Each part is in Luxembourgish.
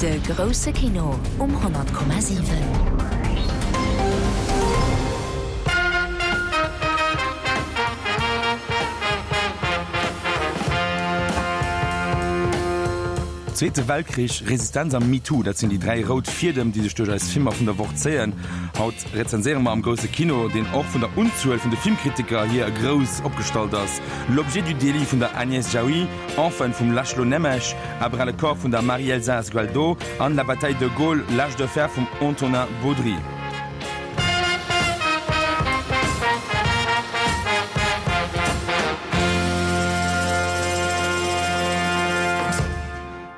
De grousse Kino um 100,7. Zweete Weltkrich, Resistenz a MeToo, dat sinn déi 3 rout Fiedem, déi sech duerch eis Filmer vun der Woch zéien. Haut rezenséiere mer am grousse Kino, deen och vun der Unzuel vun de Filmkritiker hier grouss opgestallt ass, L'objet du délit vun der Agnès Jaoui, Orphan vum László Nemes, À bras le corps vun der Marie-Elsa Sgualdo an La bataille de Gaulle, l'âge de fer vum Antonin Baudry.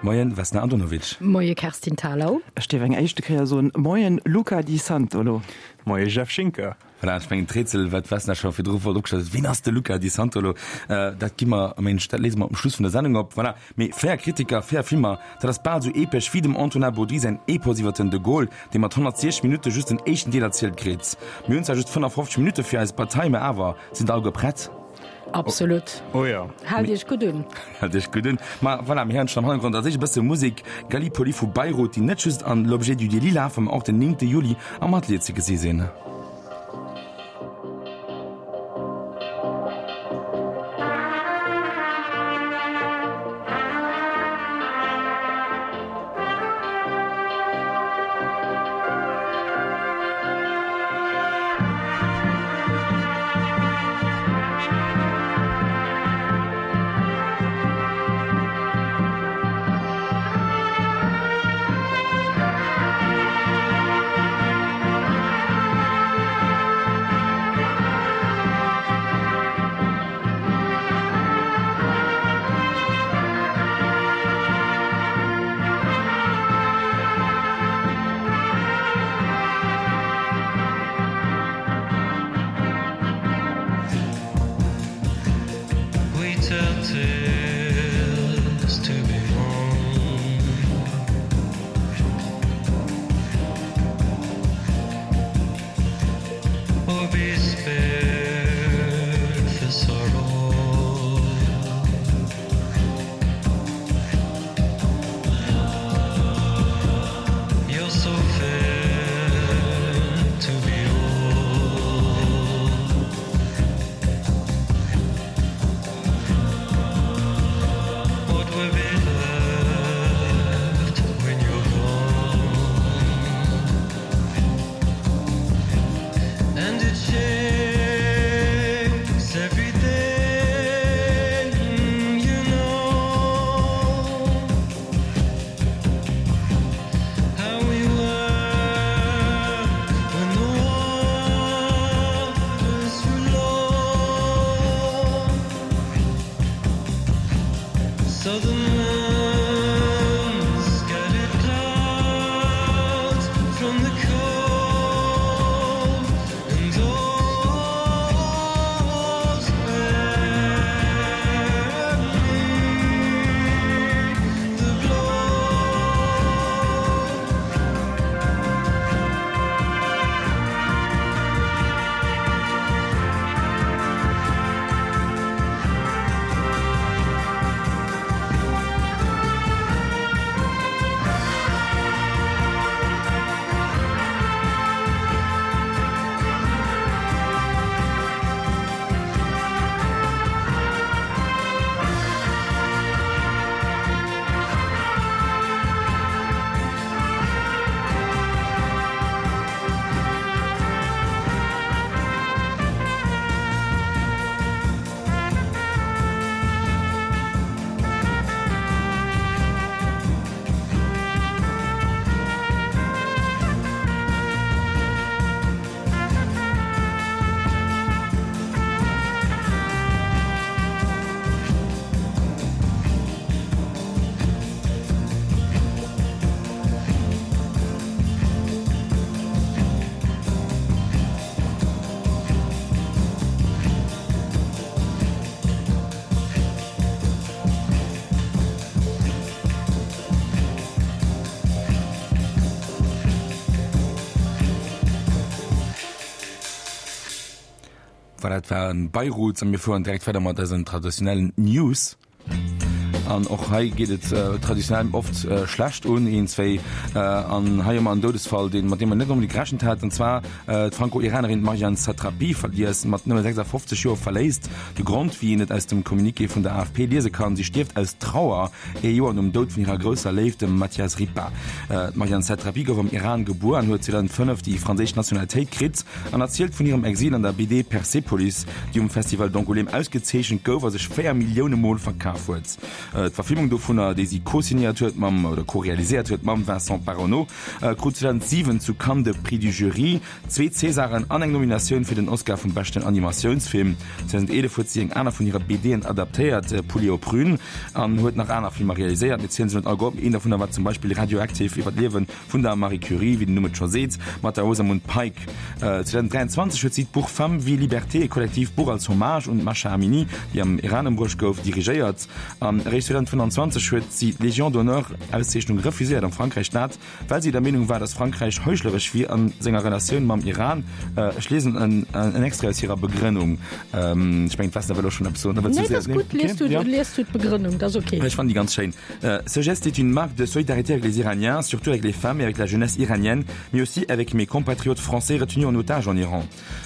Moien Vesna Andonovic. Moie Kerstin Thalau. Ech dierf eng éischte Kéier soen, Moien Luca Di Santolo. Moie Jeff Schinker. Voilà, ech mengen d'Rätsel, wat d'Vesna scho virdru wollt opgestallt huet, Wien ass de Luca Di Santolo? Dat gi mer, mensch, dat léise mer um Schluss vun der Sendung op. Voilà. Mee 4 Kritiker, 4 Filmer, dat ass bal esou epesch wéi dem Antonin Baudry säin Epos iwwer den de Gaulle, dee mat 160 Minutte just den éischten Deel erzielt kritt. Mir hunn zwar just 55 Minutte fir eis Bataille, mä awer, sinn der alleguer prett? Absolut. Oh jo. Haalt Iech gutt un. Haalt Iech gutt un. Ma voilà, mir héieren schonn am Hannergrond als éischt e bësse Musek, Gallipoli vu Beirut, déi net just an L'objet du délit lafen, ma och den 9 Juli am Atelier ze gesi sinn. Voilà, dat war Beirut a mir fueren direkt weider mat eisen traditionellen News. An och hei geet et traditionell oft schlecht un, een, zwéi. An hei hu mer en Doudesfall, deen, mat deem mer net onbedéngt gerechent haten, an zwar d'Franko-Iranerin Marjane Satrapi, déi eis mat nëmme 56 Joer verléisst. De Grond, wéi een et aus dem Communiqué vun der AFP liese kann, si stierft aus Trauer, ee Joer nom Doud vun hirer grousser Léift, dem Mathias Ripa. D'Marjane Satrapi gouf am Iran gebuer an huet 2005 déi franséisch Nationalitéit kritt an erzielt vun hirem Exil an der BD Persepolis, déi um Festival d'Angoulême ausgezeechent gouf a sech 4 Millioune Mol verkaf huet. D'Verfilmung dovunner, déi si co-signéiert huet mam, oder co-realiséiert huet mam Vincent Paronnaud, krut 2007 zu Cannes de Prix du Jury, zwee Césaren an eng Nominatioun fir den Oscar vum beschten Animatiounsfilm. 2011 huet si eng aner vun hire BDen adaptéiert, Pouliot aux prunes, an huet nach aner Filmer realiséiert. Mir zielen se net alleguer op, een dovunner war zum Beispill Radioactive iwwer d'Liewe vun der Marie Curie, wéi den Numm et scho seet, mat der Rosamund Pike. 2023 huet si d'Buch Femme, vie, liberté, e kollektiivt Buch als Hommage un d'Masha Amini, déi am Iran ëmbruecht gouf, dirigéiert. An eréischt 2025 huet si d'Légion d'honneur-Auszeechnung refuséiert am Frankräich, dat well si der Meenung war, datt Frankräich heuchleresch wier a senger Relatioun mam Iran. Ech liesen en Extrait aus hirer Begrënnung. Ech mengen, d'Vesna wëll och schonn eppes soen. Nee, dat ass gutt. Lies du, lies du d'Begrënnung, dat ass ok. Ech fannen déi ganz schéin. Ce geste est une marque de solidarité avec les Iraniens, surtout avec les femmes et avec la jeunesse iranienne, mais aussi avec mes compatriotes français retenus en otage en Iran.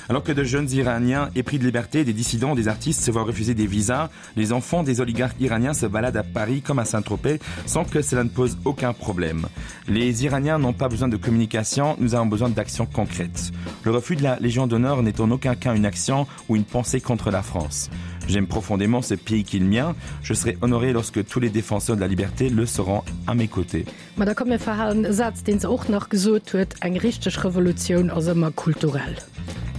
Alors que de jeunes Iraniens épris de liberté, des dissidents, des artistes se voient refuser des visas, les enfants des oligarques iraniens se baladent à Paris comme à Saint-Tropez sans que cela ne pose aucun problème. Les Iraniens n'ont pas besoin de communication, nous avons besoin d'actions concrètes. Le refus de la Légion d'honneur n'est en aucun cas une action ou une pensée contre la France. J'aime profondément ce pays qui est le mien. Je serai honoré lorsque tous les défenseurs de la liberté le seront à mes côtés. Ma da komm mir verhalen e Saz, deen se och nach gesot huet, Eng richteg Revolutioun ass ëmmer kulturell.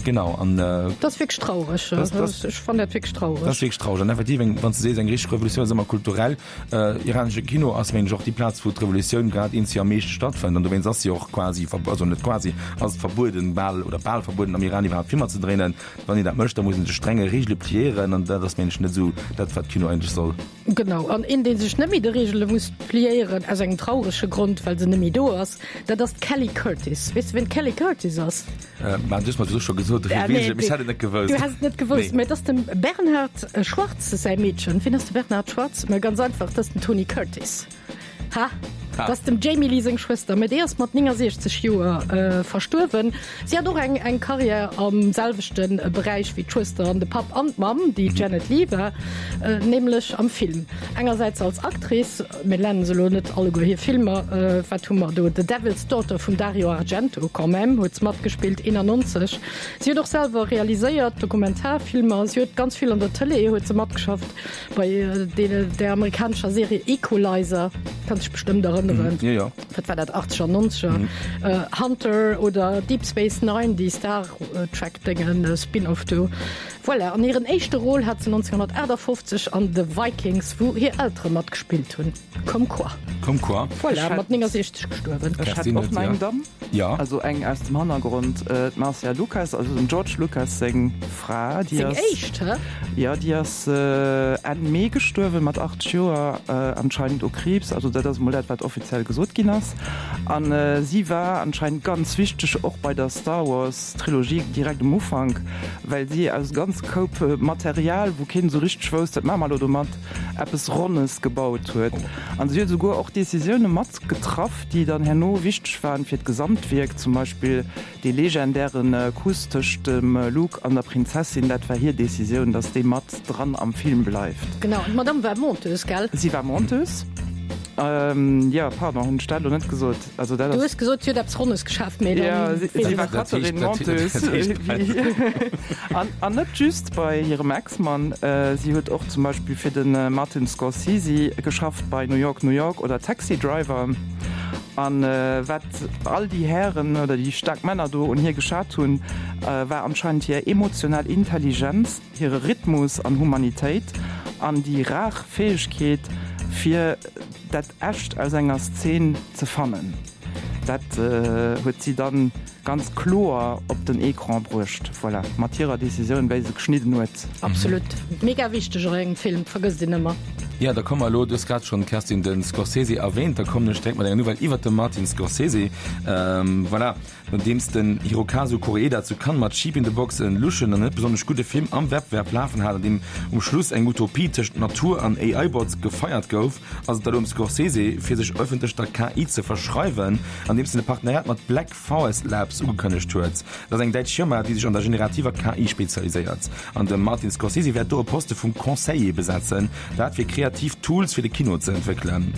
Genau, an. Dat ass wierklech traureg. Ech fannen dat wierklech traureg. Dat ass wierklech traureg. An effektiv, eng, wann s de sees, eng richteg Revolutioun ass ëmmer kulturell. Iranesche Kino ass, mengen ech, och déi Plaz, wou d'Revolutioun grad eenzi am meeschte stattfënnt. An dowéinst ass si och quasi, also net quasi, ass et verbueden, bal oder bal verbueden, am Iran iwwerhaapt Filmer ze dréinen. Wann een dat mécht, da muss een sech strenge Reegele pliéieren. An dat ass, mengen ech, net esou dat, wat Kino eigentlech soll. Genau, an een dee sech net méi de Reegele muss pliéieren, aus engem traurege Grond, well se net méi do ass, dat ass d'Kelly Curtis. Weess de ween d'Kelly Curtis ass? Mä du hues mer dat scho gesot, dofir weess ech et, mee ech hätt et net gewousst. Du häss et net gewousst, mä et ass dem Bernhard Schwarz säi Meedchen. Wien ass de Bernhard Schwarz? Mä ganz einfach, dat ass den Tony Curtis. Ha! Dat ass dem Jamie Lee seng Schwëster, mä déi ass mat 69 Joer verstuerwen. Si hat och eng eng Karriär am selwechte Beräich wéi d'Schwëster an de Papp an d'Mamm, déi d'Janet Leigh war, nämlech am Film. Engersäits als Actrice, mir nennen se elo net alleguer hir Filmer, wat hu mer do, The Devil's Daughter vum Dario Argento, quand même, huet se matgespillt, 91. Si huet och selwer realiséiert, Dokumentarfilmer, si huet ganz vill an der Tëlee huet se matgeschafft. Bei der amerikanescher Serie Equalizer, kanns dech bestëmmt erënneren. Jo, jo. Wat war dat, achtzeger, nonzeger? Hunter oder Deep Space Nine, déi Star Trek Déngen, Spin-off do. Voilà, an hiren éischte Rôle hat se 1958 an The Vikings, wou hir Eltere matgespillt hunn. Comme quoi. Comme quoi. Voilà, mat 69 gestuerwen. Ech hätt och nach eng Damm. Ja. Also eng aus dem Hannergrond, d'Marcia Lucas, also dem George Lucas seng Fra. Déi ass. Seng éischt, hä? Jo, déi ass Enn Mee gestuerwen, mat 80 Joer, anscheinend u Kriibs. Also dat ass emol dat, wat offiziell gesot ginn ass. A si war anscheinend ganz wichteg och bei der Star Wars Trilogie direkt um Ufank, well si aus ganz Koup Material, wou keen esou richteg wousst, wat maache mer elo domat, eppes Ronnes gebaut huet. An si huet esouguer och Decisioune mat getraff, déi dann herno wichteg waren fir d'Gesamtwierk, zum Beispill dee legendäre Kuss tëscht dem Luke an der Prinzessin, dat war hir Decisioun, datt dee mat dran am Film bleift. Genau, an d'Madame war Monteuse, gell? Si war Monteuse, jo, pardon, hunn ech dat elo net gesot? Also dat ass. Du hues gesot, si huet eppes Ronnes geschaaft, mee dann. Jo, si war Cutterin, Monteuse. An net just bei hirem Ex-Mann, si huet och zum Beispill fir de Martin Scorsese geschafft bei New York, New York oder Taxi Driver. An wat all déi Hären oder déi staark Männer do un hir geschat hunn, war anscheinend hir emotional Intelligenz, hire Rhythmus an Humanitéit an déi rar Fäegkeet fir dat Echt aus enger Szen ze fannen. Dat huet si dann. Ganz kloer op den Ecran bruecht, voilà, mat hirer Decisioun wéi se geschnidden huet. Absolut, mega wichteg och engem Film, vergësst een ëmmer. Jo, da komme mer elo, du hues grad schonn, Kerstin, de Scorsese erwähnt, da kommen ech direkt mat enger Nouvelle iwwert de Martin Scorsese. Voilà, nodeems den Hirokazu Koreeda zu Cannes mat Sheep in the Box en luschen an net besonnesch gudde Film am Wettbewerb lafen hat, an deem um Schluss eng Utopie tëscht Natur an AI-Bots gefeiert gouf, ass et elo um Scorsese, fir sech ëffentlech der KI ze verschreiwen, andeems en e Partenariat mat Black Forest Labs ugekënnegt huet. Dat ass eng däitsch Firma, déi sech an der generativer KI spezialiséiert. An de Martin Scorsese wäert do e Poste vum Conseiller besetzen, dat fir kreativ Tools fir de Kino ze entwéckelen.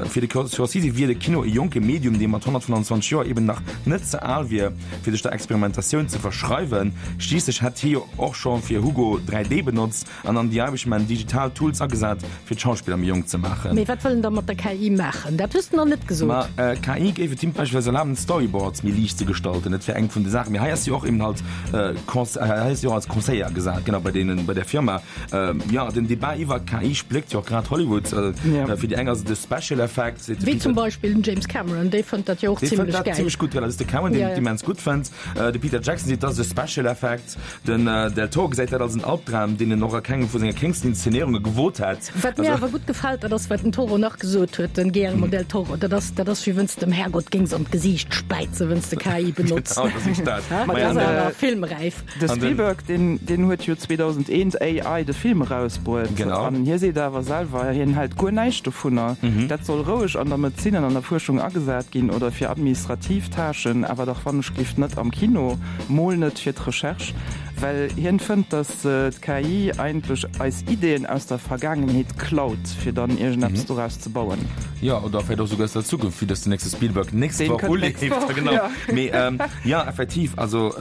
Fir de Scorsese wier de Kino e jonke Medium, dee mat 125 Joer eben nach net ze al wier, fir sech der Experimentatioun ze verschreiwen. Schliisslech hätt hie jo och scho fir Hugo 3D benotzt. An an The Irishman digital Tools agesat, fir d'Schauspiller méi jonk ze maachen. Mee wat wëll en da mat der KI maachen? Dat hues de nach net gesot. Ma KI géif et him beispillsweis erlaben, Storyboards méi liicht ze gestalten. Dat wär eng vun de Saachen. Mee hei ass si och eben halt hei ass si och als Conseiller agesat, genau, bei deenen, bei där Firma. Jo, den Debat iwwer KI spléckt jo och grad Hollywood. Fir déi eng ass et e Special Effect, seet de Wéi zum Beispill den James Cameron, dee fënnt dat jo och Dee fënnt zimlech dat gäil. zimlech gutt, voilà, dat ass de Cameron, deen et immens gutt fënnt. De Peter Jackson seet, dat ass e Special Effect. Den Del Toro gesäit dat als en Albdram, deen en och a kengem vu senger kéngsten Inszenéierunge gewot hätt. Wat mir awer gutt gefält, dat ass, wat den Toro nach gesot huet, den Guillermo del Toro, dat ass, dat ass wéi wenn's de dem Herrgott géings an d'Gesiicht späizen, wenn's de KI benotz. Genau, dat ass dat. Dat ass awer filmräif. De Spielberg, deen, deen huet jo 2001 AI, de Film erausbruet. Genau. An hie seet awer selwer, hien hält guer näischt dovunner. Dat soll roueg an der Medezin an an der Fuerschung agesat ginn oder fir administrativ Tâchen, awer dach wannechgelift net am Kino. Mol net fir d'Recherche, well hien fënnt, datt d'KI eigentlech eis Ideeën aus der Vergaangenheet klaut, fir dann iergendeppes doraus ze bauen. Jo, oder vläicht och souguer aus der Zukunft, vue datt den nächste Spielberg nächst Deen Woch kënnt nächst uleeft. Woch, Genau. jo. Mee jo, effektiv, also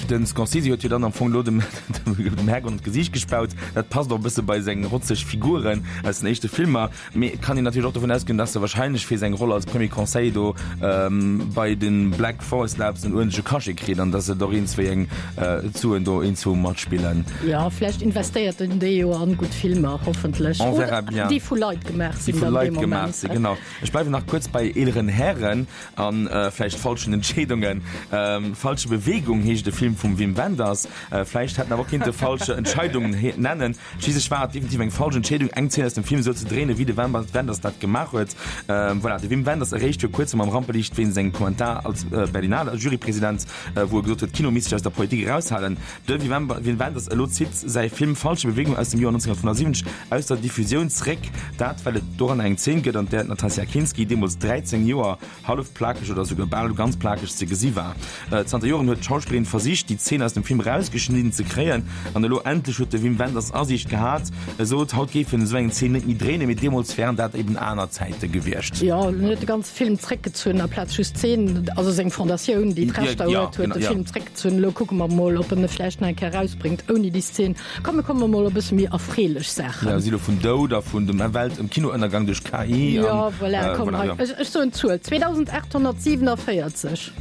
den Scorsese huet jo dann am Fong elo dem dem Herrgott an d'Gesiicht gespaut. Dat passt och e bësse bei seng rotzeg Figuren aus den éischte Filmer. Mee et kann een natierlech och dovun ausgoen, dass e wahrscheinlech fir seng Roll als Premier Conseil do bei de Black Forest Labs en uerdentleche Cachet kritt an dass se och eens wéi eng Suen do eens wou matspillen. Jo, vläicht investéiert en déi jo an gutt Filmer, hoffentlech. On verra bien. Déi vu Leit gemaach sinn. Déi vu Leit gemaach sinn, genau. Ech bleiwen nach kuerz bei eeleren Hären a vläicht falschen Entscheedungen. Falsche Bewegung heescht e Film vum Wim Wenders. Vläicht hätt en awer och kinnte Falsche Entscheidungen nennen. Schliisslech war et definitiv eng falsch Entscheedung, eng Zeen aus dem Film esou ze dréinen, wéi de Wim Wenders dat gemaach huet. Voilà, de Wim Wenders eréischt vir kuerzem am Rampeliicht wéinst engem Kommentar als Berlinale Jurypresident, wou e gesot huet, Kino misst sech aus der Politik eraushalen. De Wim Wenders elo zitt säi Film Falsche Bewegung aus dem Joer 1975 aus der Diffusioun zeréck, dat well et doranner eng Zeen gëtt, an där d'Natasja Kinski, deemools 13 Joer, hallef plakeg oder souguer bal ganz plakeg ze gesi war. Zanter Joren huet d'Schauspillerin versicht, déi Zeen aus dem Film erausgeschnidden ze kréien, an elo endlech huet de Wim Wenders Asiicht gehat. E sot, haut géif en esou eng Zeen net méi dréinen, mee deemools wären dat eben aner Zäite gewiescht. Jo, en huet de ganze Film zréckgezunn aplaz just d'Zeen, also seng Fondatioun, déi d'Rechter huet, huet de Film zréckgezunn. Elo kucke mer mol, ob en e vläicht nach eng Kéier erausbréngt ouni déi Szeen. Komm mir komme mol op e bësse méi erfreelech Saachen. Ja, si lo vun Doud a vun dem Welt um Kinoënnergang duerch KI an. Jo, voilà, komm hei, ech, ech soen d'Zuel, 2847.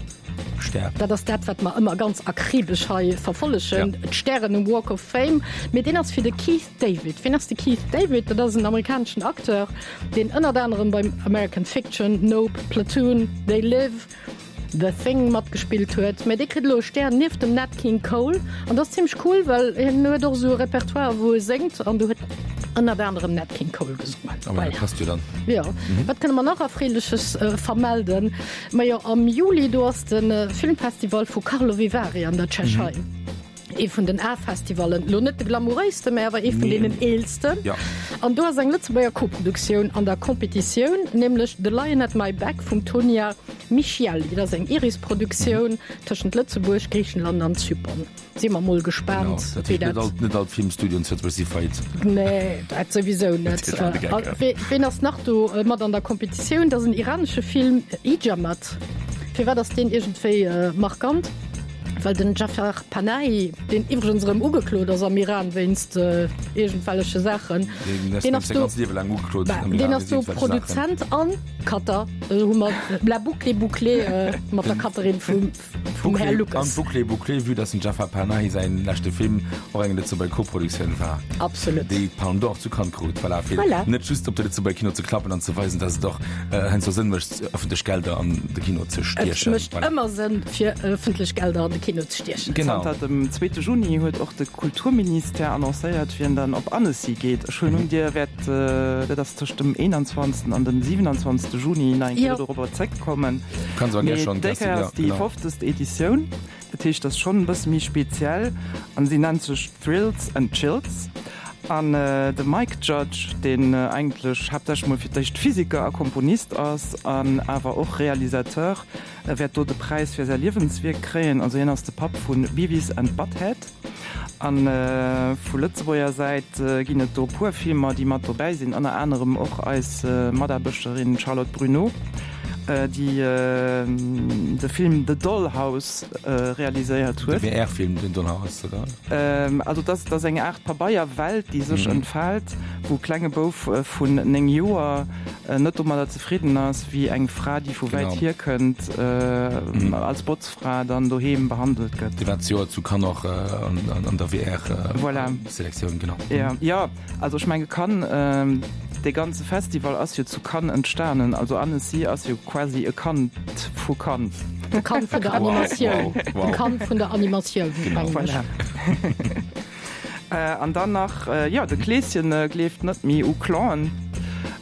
Stär. Dat ass dat, wat mer ëmmer ganz akribesch hei verfollegen, d'Stären um Walk of Fame. Mee deen ass fir de Keith David. Wien ass de Keith David? Dat ass en amerikaneschen Acteur, deen ënnert anerem beim American Fiction, Nope, Platoon, They Live, The Thing matgespillt huet, mä dee kritt elo e Stär nieft dem Nat King Cole an dat ass zimmlech cool, well hien huet och esou e Repertoire wou e séngt an do huet ënnert anerem Nat King Cole gesongen. Ah, ma dat passt jo dann. Jo. Wat kënne mer nach Erfreeleches vermelden? Majo am Juli do ass de Filmfestival vu Karlovy Vary an der Tschechei. Ee vun den A-Festivallen, elo net de glamouréisten, mä awer ee vun deenen eelsten. An do ass eng Lëtzebuerger Koproduktioun an der Competitioun, nämlech The Lion at My Back vum Tonia Michielli. Dat ass eng Iris-Produktioun tëschent Lëtzebuerg, Griichenland an Zypern. Si mer mol gespaant, wéi dat. Net all d'Filmstudioen zu Lëtzebuerg si faillite. Nee, dat souwisou net. Ween ass nach do mat an der Competitioun? Dat ass en iranesche Film, Ijamat. Firwat ass deen iergendwéi markant? Well den Jafar Panahi, deen iwwregens erëm ugeklot ass am Iran wéinst iergendwelleche Saachen, deen ass do, deen ass do Produzent an Cutter. Do hu mer la boucle est bouclée mat der Cutterin vum. vum Här Lucas. An d'Boucle est bouclée, vue dass dem Jafar Panahi säin leschte Film och eng Lëtzebuerger Koproduktioun war. Absolut. Déi d'Palme d'Or zu Cannes krut. Voilà, fir voilà. net just op de Lëtzebuerger Kino ze klappen an ze weisen, dass et och heiansdo Sënn mécht, ëffentlech Gelder an de Kino ze stiechen. Et mécht voilà. ëmmer Sënn, fir ëffentlech Gelder an de Kino ze stiechen. Genau. Zanter dem zweete Juni huet och de Kulturministère annoncéiert, wien dann op Annecy geet. Ech huelen un, Dir wäert, dat ass tëscht dem 21. an dem 27. Juni, nach eng Kéier dorobber zréckkommen. Kanns awer gär schonn, Mee déi Kéier ass déi 50. Editioun, dat heescht, dat ass schonn e bësse méi speziell an si nennt sech Thrills and Chills. An de Mike Judge, deen eigentlech haaptsächlech mol fir d'éischt Physiker a Komponist ass an awer och Realisateur, wäert do de Präis fir säi Liewenswierk kréien. Also hien ass de Papp vu Beavis and Butthead. A vu Lëtzebuerger Säit ginn et do e puer Filmer, déi mat dobäi sinn, ënner anerem och eis Mataarbechterin Charlotte Bruneau, déi de Film The Dollhouse realiséiert huet. De VR-Film The Dollhouse, oder? Also dat ass eng Aart Pabeierwelt, déi sech entfaalt, wou e klenge Bouf vun 9 Joer net domadder zefridden ass, wéi eng Fra, déi vu wäit hier kënnt, als Botzfra dann doheem behandelt gëtt. Déi war zejoert zu Cannes och an der VR-Selektioun, genau. Jo, also ech menge Cannes, dee ganze Festival ass jo zu Cannes entstanen. Also Annecy ass jo quasi e Kand vu Cannes. De Kand vun der Animatioun. De Kand vun der Animatioun, mengen ech. An dann nach, jo, de Kleeschen gleeft net méi u Clanen.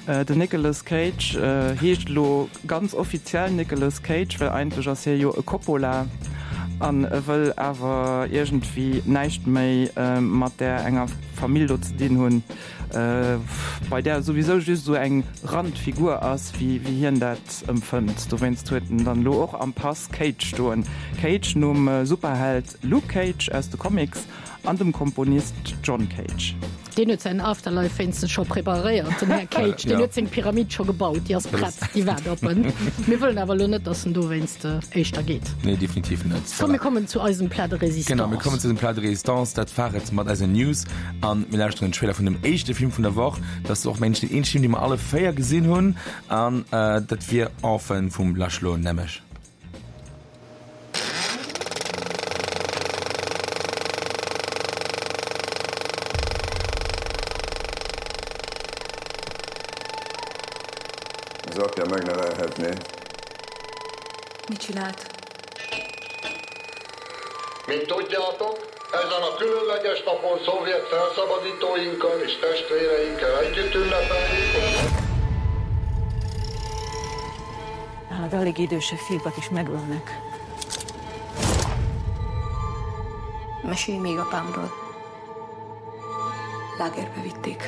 Den Nicolas Cage heescht elo ganz offiziell Nicolas Cage, well eigentlech ass hie jo e Coppola an e wëll awer iergendwéi näischt méi mat där enger Famill do ze dinn hunn, bei där e souwisou just esou eng Randfigur ass, wéi hien dat empfënnt. Dowéinst huet en dann elo och am Pass Cage stoen. Cage nom Superheld Luke Cage aus de Comics. An dem Komponist John Cage. Deen huet säin Afterlife wéinstens scho preparéiert, den Här Cage. Deen huet seng Pyramid scho gebaut, déi ass prett, déi waart op en. Mir wëllen awer elo net, datt en dowéinst éischter geet. Nee, definitiv net. Komm, mir kommen zu eisem Plat de résistance. Genau, mir kommen zu eisem Plat de résistance. Dat war et mat eisen News. An mir lauschteren den Trailer vun dem éischte Film vun der Woch. Dat ass och, mengen ech, deen eenzege Film, dee mer alle 4 gesinn hunn. An dat wier Orphan vum Laszlo Nemes. Az apja megnevelhetné. Mit csinált? Mint tudjátok, ezen a különleges napon szovjet felszabadítóinkkal és testvéreinkkel együtt ünnepeljük. Nálad alig idősebb fiúkat is megölnek. Mesélj még apámról. Lágerbe vitték.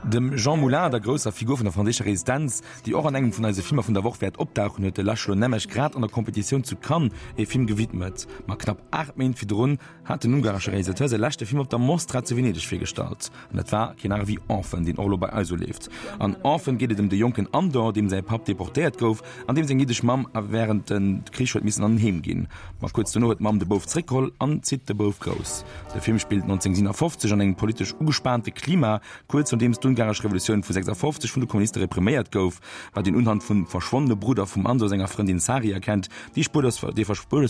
Dem Jean Moulin, der grousser Figur vun der franséischer Resistenz, déi och an engem vun eise Filmer vun der Woch wäert opdauchen, huet de László Nemes grad an der Kompetitioun zu Cannes ee Film gewidmet. Ma knapp 8 Méint virdrun hat den ungaresche Realisateur säi leschte Film op der Mostra zu Venedeg virgestallt. An dat war keen anere wéi Orphan, deen och elo bei eis uleeft. An Orphan geet et ëm de jonken Andor, deem säi Papp deportéiert gouf an deem seng jiddesch Mamm wärend de Krich huet missen an en Heem ginn. Ma kuerz dono huet d'Mamm de Bouf zeréckgeholl an zitt de Bouf grouss. De Film spillt 1957 an engem politesch ugespaante Klima, kuerz nodeems d'ungaresch Revolutioun vu 56 vun de Kommuniste repriméiert gouf, wat een unhand vum verschwonnene Brudder vum Andor senger Frëndin Sari erkennt, déi spurlos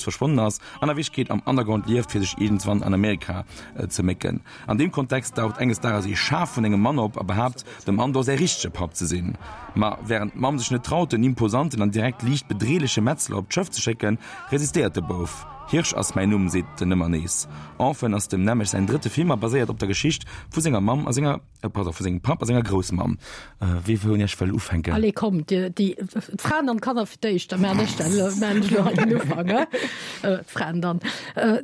verschwonnen ass an a Wierklechkeet am Underground lieft, fir sech iergendswann an Amerika ze mécken. An deem Kontext daucht enges Dages ee Schaf vun engem Mann op a behaapt, dem Andor säi richtege Papp ze sinn. Ma wärend d'Mamm sech net traut, den imposanten an direkt liicht bedreeleche Metzler op d'Schëff ze schécken, resistéiert de Bouf. Hirsch ass mäin Numm, seet en ëmmer nees. Orphan ass dem Nemes säin drëtte Film a baséiert op der Geschicht vu senger Mamm a senger. Pardon, vu sengem Papp a senger Groussmamm. Wee vun iech wëll ufänken? Allez, komm, dir, déi, d'Fraen an d'Kanner fir d'éischt, da maachen ech dat elo, maachen ech elo hei den Ufank, he? D'Fraen dann.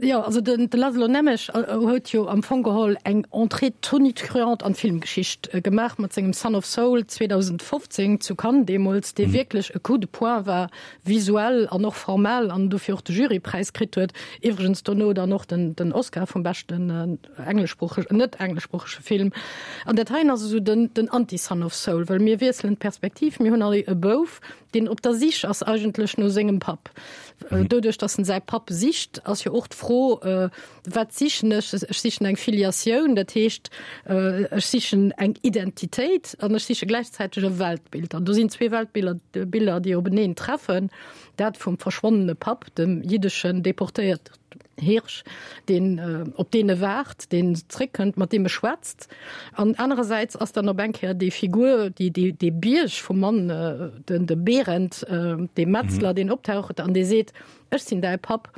Jo, also den, de Laszlo Nemes huet jo am Fong geholl eng Entrée tonitruante an d'Filmgeschicht gemaach mat sengem Son of Saul 2015 zu Cannes deemools, dee wierklech e Coup de poing war, visuell an och formell, an dofir och de Jurypräis kritt huet, iwwregens dono dann och den, den Oscar vum beschten, engleschsproocheg, net engleschsproochege Film. An dat heien ass esou den, den Anti-Son of Saul, well mir wiesselen d'Perspektiv, mir hunn hei e Bouf, deen op der Sich ass eigentlech no sengem Papp. Doduerch, datt en säi Papp sicht, ass jo och d'Fro, Wat sichen ech? Ech sichen eng Filiatioun, dat heescht, ech sichen eng Identitéit an ech siche gläichzäiteg e Weltbild. An do sinn zwee Weltbiller, Biller, déi openeen treffen, dat vum verschwonnene Papp, dem jiddeschen deportéierten Hirsch, deen, op deen e waart, deen zréckkënnt, mat deem e schwätzt. An anerersäits ass dann op eng Kéier déi Figur, déi, déi, dee Bierg vum Mann, den, de Berend, dee Metzler, deen optaucht an dee seet, Ech sinn däi Papp.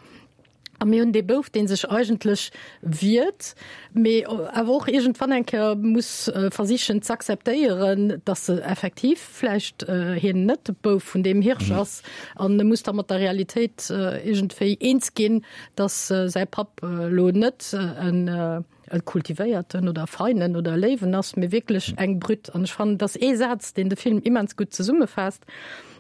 A mir hunn dee Bouf, dee sech eigentlech wiert, mee awer och iergendwann eng Kéier muss versichen z'akzeptéieren, datt e effektiv vläicht hien net de Bouf vun deem Hirsch ass. An e muss da mat der Realitéit iergendwéi eens ginn, datt säi Papp elo net en e kultivéierten oder feinen oder léiwen ass, mee wierklech eng Brütt. An ech fannen, et ass ee Saz, deen de Film immens gutt zesummefaasst,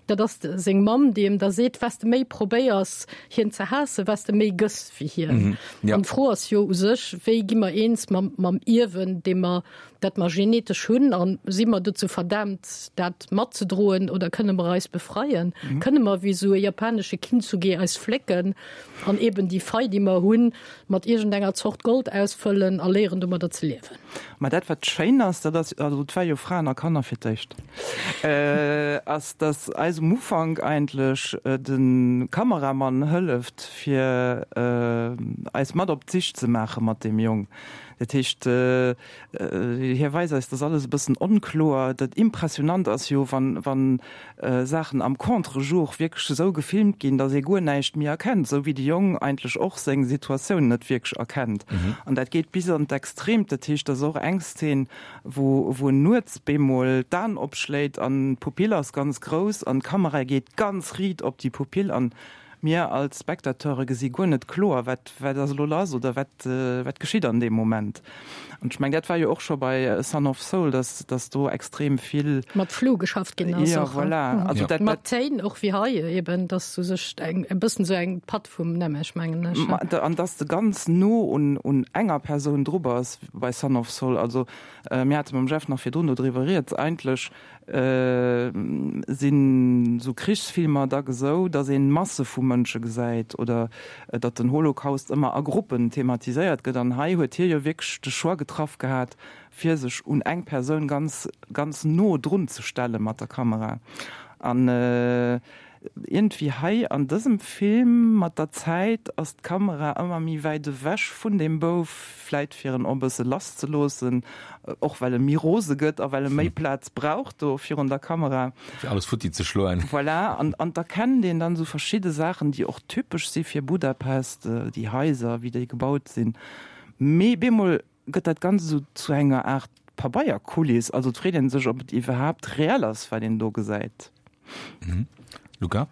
dat ass seng Mamm, déi em da seet, Wat s de méi probéiers, hien ze haassen, wat s de méi gëss wéi hien. An d'Fro ass jo u sech, Wéi gi mer eens mam, mam Ierwen, dee mer, dat mer genetesch hunn? A si mer dozou verdaamt, dat matzedroen oder kënne mer eis befreien? Kënne mer wéi esou e japanesche Kintsugi eis flécken an eben déi Fei, déi mer hunn, mat iergendenger Zort Gold ausfëllen a léieren domadder ze liewen. Mä dat wat schéin ass, dat ass, also et war jo Fraen a Kanner fir d'éischt, ass datt eis um Ufank eigentlech de Kameramann hëlleft fir eis mat op d'Sich ze maache mat deem Jong. Dat heescht, hie weist eis, datt alles e bëssen onkloer. Dat Impressionant ass jo, wann, wann Saachen am Contre-jour wierklech esou gefilmt ginn, datt ee guer näischt méi erkennt, esou wéi de Jong eigentlech och seng Situatioun net wierklech erkennt. An dat geet bis an d'Extreemt, dat heescht, et ass och eng Szene, wou wou en nuets bemol d'Aen opschléit an d'Pupill ass ganz grouss an d'Kamera geet ganz riit op déi Pupill an mir als Spectateure gesi guer net kloer, wat wat ass elo lass oder wat wat geschitt an deem Moment. An ech meng, dat war jo och scho bei Son of Saul, dass dass do extrem vill. Mat Flou geschafft ginn ass. Jo, voilà. Also dat. Mat Téin och wéi hei eben, dass u sech eng e bëssen esou eng Patt vum Nemesch, mengen ech. An dass de ganz no un un enger Persoun dru bass bei Son of Saul. Also mir hate mam Jeff nach virdrun do driwwer rieds, eigentlech Sinn sou Krichsfilmer dack esou, datt een Masse vu Mënsche gesäit oder datt den Holocaust ëmmer a Gruppen thematiséiert gëtt. An hei huet hie jo wierklech de Choix getraff gehat, fir sech un eng Persoun ganz, ganz no drun ze stelle mat der Kamera. An Iergendwéi hei an dësem Film, mat der Zäit ass d'Kamera ëmmer méi wäit ewech vun deem Bouf, vläit fir en och e bësse lass ze loossen, och well e méi rose gëtt a well e méi Plaz brauch do virun der Kamera. Fir alles futti ze schloen. Voilà, an an d'erkennt een dann esou verschidde Saachen, déi och typesch si fir Budapest, déi Haiser, wéi déi gebaut sinn, mee bemol gëtt dat Ganzt esou zu enger Aart Pabeierkuliss. Also et freet ee sech, ob et iwwerhaapt reell ass, wat een do gesäit. Luca?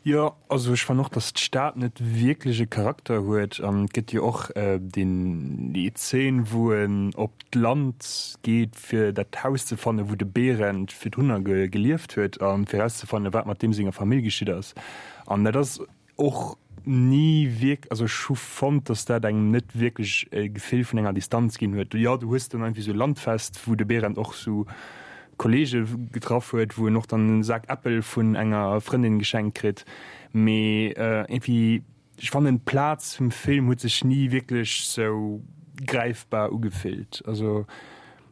Jo, also ech fannen och, datt d'Stad net wierklech e Charakter huet. An et gëtt jo och deen, déi Zeen, wou en op d'Land geet, fir dat Haus ze fannen, wou de Berend virdrunner gelieft huet, a fir erauszefannen, wat mat deem senger Famill geschitt ass. An dat ass och ni wierk, also ech hu fonnt, dass dat engem net wierklech e Gefill vun enger Distanz ginn huet. Jo, du hues dann irgendwie sou Landfest, wou de Berend och sou Kollege getraff huet, wou en och dann e Sak Äppel vun enger Frëndin geschenkt kritt, mee irgendwie, ech fannen d'Plaz vum Film huet sech ni wierklech sou gräifbar ugefillt, also.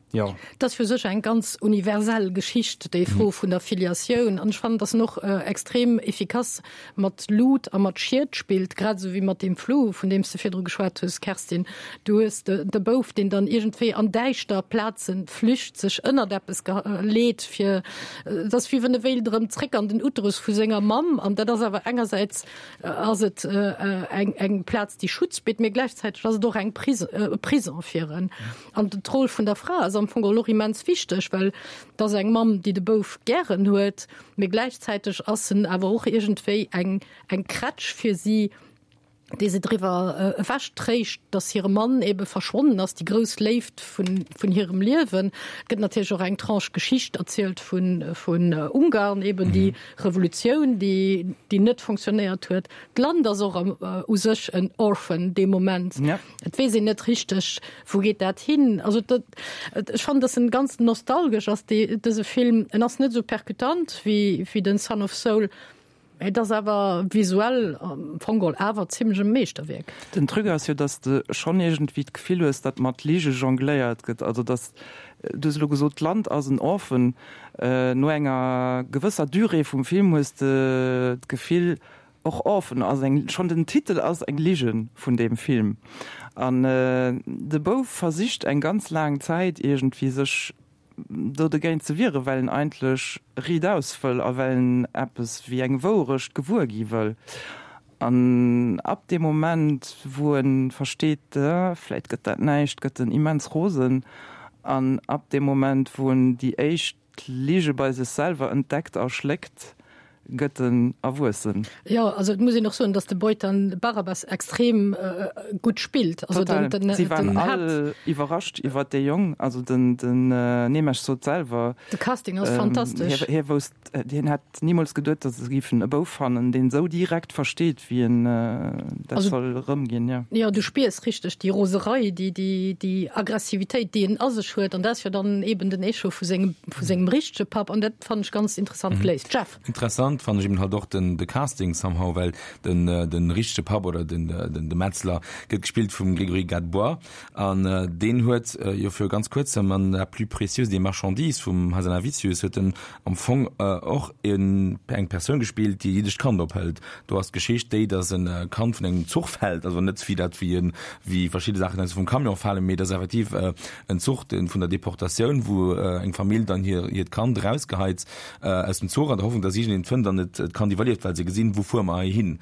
Jo. Et ass fir sech eng ganz universell Geschicht, déi Fro vun der Filiatioun. An ech fannen, dass en och extrem efficace mat Lut a mat Schied spillt, grad esou wéi mat deem Flou, vun deem s de virdru geschwat hues, Kerstin. Du hues de Bouf, deen dann iergendwéi an däischter Plaze flücht, sech ënnert eppes leet, fir, et ass wéi wann e wéilt erëm zréck an den Uterus vu senger Mamm. An dat ass awer engersäits ass et eng eng Plaz, déi Schutz bitt, mee gläichzäiteg ass et och eng e Prison fir en. An d'Roll vun der Fra ass am Fong geholl och immens wichteg, well et ass eng Mamm, déi de Bouf gären huet, mee gläichzäiteg ass en awer och iergendwéi eng, eng Krätsch fir si. Dee se driwwer ewech tréischt, datt hire Mann ebe verschwonnen ass, déi grouss Léift vun, vun hirem Liewen. Et gëtt natierlech och eng Tranche Geschicht erzielt vun, vun Ungarn, eben déi Revolutioun, déi, déi net fonctionnéiert huet. D'Land ass och am, u sech en Orphan dee Moment. Et weess een net richteg, wou geet dat hin. Also dat, ech fannen, datt en ganz nostalgesch ass, dee, dëse Film. En ass net esou percutant wéi, wéi den Son of Saul. Et ass awer visuell am Fong geholl awer zimlech e Meeschterwierk. Den Truc ass jo, dass de schonn iergendwéi d'Gefill hues, datt mat Lige jongléiert gëtt. Also dass, du hues elo gesot, d'Land ass en Orphan. No enger gewësser Durée vum Film hues de d'Gefill, och Orphan ass eng, schonn den Titel ass eng Lige vun deem Film. An de Bouf versicht eng ganz laang Zäit iergendwéi sech do dogéint ze wieren, well en eigentlech riitaus wëll a well en eppes wéi eng Wourecht gewuer gi wëll. An ab deem Moment, wou e versteet, vläit gëtt dat näischt, gëtt en immens rosen. An ab deem Moment, wou en déi éischt Lige bei sech selwer entdeckt a schléckt, gëtt en erwuessen. Jo, also et muss een och soen, datt de Boytan Barabas extrem gutt spillt. Also den, den, Si waren all iwwerrascht iwwer dee Jong, also den, den Nemes sot selwer. De Casting ass fantastesch. Hie, hie wousst, hien hätt nimools geduet, datt se géifen e Bouf fannen, deen esou direkt versteet, wéi en dat soll erëmginn, jo. Jo, du spiers richteg déi Roserei, déi, déi, déi Aggressivitéit, déi en a sech huet. An dat ass jo dann eben den Echo vu sengem, vu sengem richtege Papp. An dat fannen ech ganz interessant geléist. Jeff. Interessant fannen ech eben halt och den de Casting somehow, well den den richtege Papp oder den den de Metzler gëtt gespillt vum Grégory Gadebois an deen huet jo viru ganz kuerzem an La plus précieuse des marchandises vum Hazanavicius huet en am Fong och en eng Persoun gespillt déi e jiddescht Kand ophëlt. Do ass d'Geschicht déi, datt en Kand vun engem Zuch fält, also net wéi dat wéi en wéi verschidde Saachen aus vum Camion falen, mee et ass effektiv en Zuch den vun der Deportatioun, wou eng Famill dann hir hiert Kand erausgeheit aus dem Zuch an der Hoffnung, dass iergendeen et fënnt an et d'Kand iwwerlieft, well se gesinn, wou fuere mer hei hin.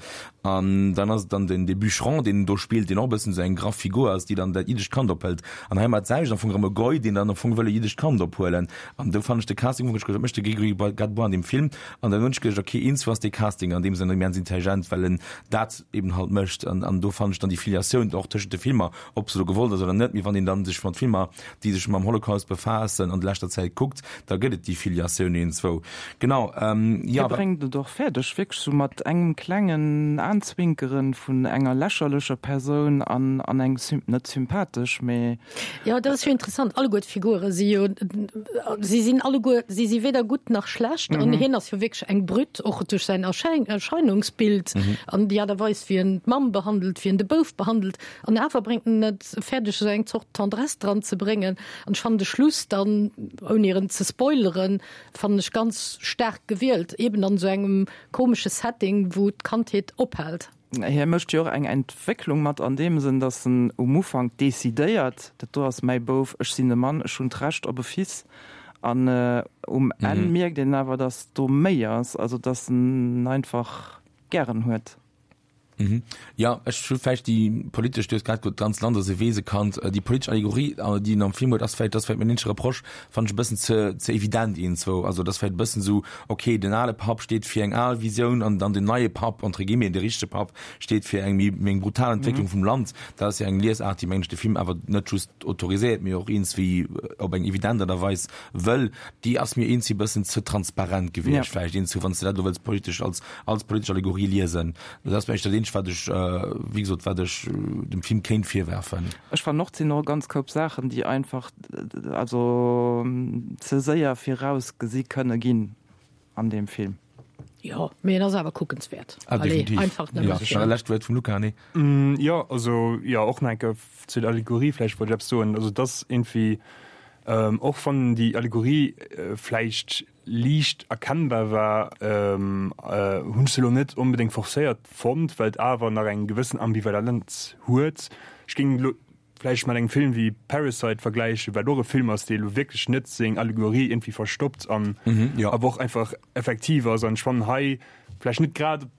An dann ass et dann den dee Bûcheron, deen do spillt, deen och e bëssen esou eng graff Figur ass, déi dann dat jiddescht Kand ophëlt. An hei mat d'selwecht am Fong erëm e Goy, deen dann am Fong wëll e jiddescht Kand ophuelen. An do fannen ech de Casting, am Fong hunn ech geduecht, wat mécht de Grégory Gadebois an deem Film? An dann hunn ech geduecht, okay, eenz ass dee Casting an deem Sënn immens intelligent, well en dat eben halt mécht. An an do fannen ech dann déi Filiatioun och tëschent de Filmer, ob se elo gewollt ass oder net, mee wann een dann sech mat Filmer déi sech mam Holocaust befaassen, an leschter Zäit kuckt, da gëtt et déi Filiatioun iergendzwou. Genau, jo. Hie bréngt et och fäerdeg, wierklech sou mat engem klengen Aanzwinkeren vun enger lächerlecher Persoun an an eng, net sympathesch, mee. Jo, dat ass jo interessant. Alleguer d'Figure si jo, si sinn alleguer, si si weder gutt nach schlecht. An hien ass jo wierklech eng Brütt, och duerch säin Erscheinungsbild an déi Aart a Weis, wéi en d'Mamm behandelt, wéi en de Bouf behandelt. An awer bréngt en et fäerdeg, esou eng Zort Tendresse dran ze bréngen. An ech fannen de Schluss dann, ouni en ze spoileren, fannen ech ganz staark gewielt, eben an esou engem komesche Setting, wou d'Kandheet ophält. Hie mécht jo och eng Entwécklung mat an deem Sënn, datt en um Ufank decidéiert, dat do ass mäi Bouf, ech sinn e Mann, ech hunn d'Recht op e Fils. An um Enn mierkt een awer, datt do méi ass, also datt en einfach gären huet. Mhm. Ja, ech hu vläicht déi politesch, du hues grad gesot, d'ganz Land ass e Weesekand, déi politesch Allegorie, déi en am Film huet, ass vläicht, dat ass vläicht mäin eenzege Reproche, fannen ech e bëssen ze, ze evident iergendzwou. Also dat ass vläicht e bëssen esou, okay, den ale Papp steet fir eng al Visioun an dann den neie Papp, entre guillemets, de richtege Papp, steet fir eng méi, méi eng brutal Entwécklung vum Land. Dat ass jo eng Liesaart, déi, mengen ech, de Film awer net just autoriséiert, mee och iergendswéi op eng evident Aart a Weis wëll. Déi ass mir iergendswéi e bëssen ze transparent gewiescht vläicht iergendzwou, wann s de dat elo wëlls politesch als, als politesch Allegorie liesen. Dat ass vläicht dat eenzegt, wat ech, wéi gesot, wat ech dem Film kéint virwerfen. Ech fannen och, et sinn och e ganz Koup Saachen, déi einfach, also ze séier virausgesi kënne ginn an deem Film. Jo, mee en ass awer kuckenswäert. Ah, definitiv. Einfach nëmme fir. Jo, lescht Wuert vum Luca, nee? Jo, also, jo, och nach eng Kéier zu der Allegorie vläicht wollt ech eppes soen. Also, et ass iergendwéi, och wann déi Allegorie vläicht liicht erkennbar war, hunn ech se elo net onbedéngt forcéiert fonnt, well et awer nach eng gewëssen Ambivalenz huet. Ech géing elo vläicht mat engem Film wéi Parasite vergläichen, wat och e Film ass, dee elo wierklech net seng Allegorie iergendwéi verstoppt an awer och einfach effektiv ass. An ech fannen hei vläicht net grad op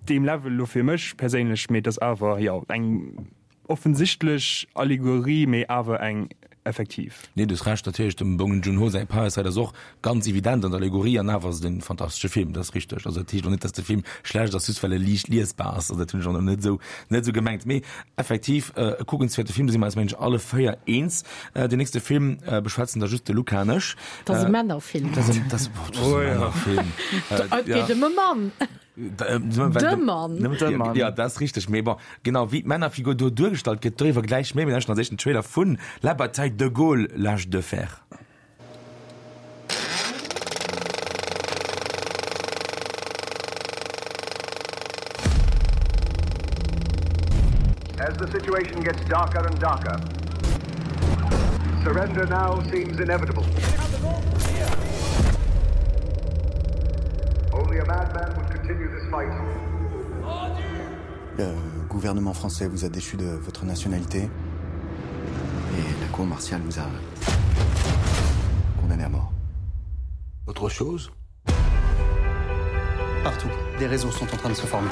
deem Level elo fir mech perséinlech, mee et ass awer, jo, eng offensichtlech Allegorie, mee awer eng. effektiv. Nee, du hues Recht, natierlech, dem Bong Joon-ho säi Parasite ass och ganz evident an der Allegorie an awer ass et en fantastesche Film, dat ass richteg. Also dat heescht och net, dass de Film schlecht ass, just well e liicht liesbar ass, also dat hunn ech och net esou net esou gemengt. Mee effektiv e kuckenswäerte Film, do si mer eis mengen ech alle 4 eens. Den nächste Film beschwätzen da just de Luca an ech. Dat ass e Männerfilm. Dat ass e, dat ass, oh, dat ass e Männerfilm. Et geet ëm e Mann. De Mann. De Mann. Ja, dat ass richteg. Mee bon, genau wéi d'Männerfigur do duergestallt gëtt, doriwwer gläich méi. Mir lauschten als éischt den Trailer vun La Bataille de Gaulle, l'âge de fer. As the situation gets darker and darker, surrender now seems inevitable. Only a madman would continue this fight. Le gouvernement français vous a déchu de votre nationalité et la cour martiale vous a condamné à mort. Autre chose Partout, des réseaux sont en train de se former.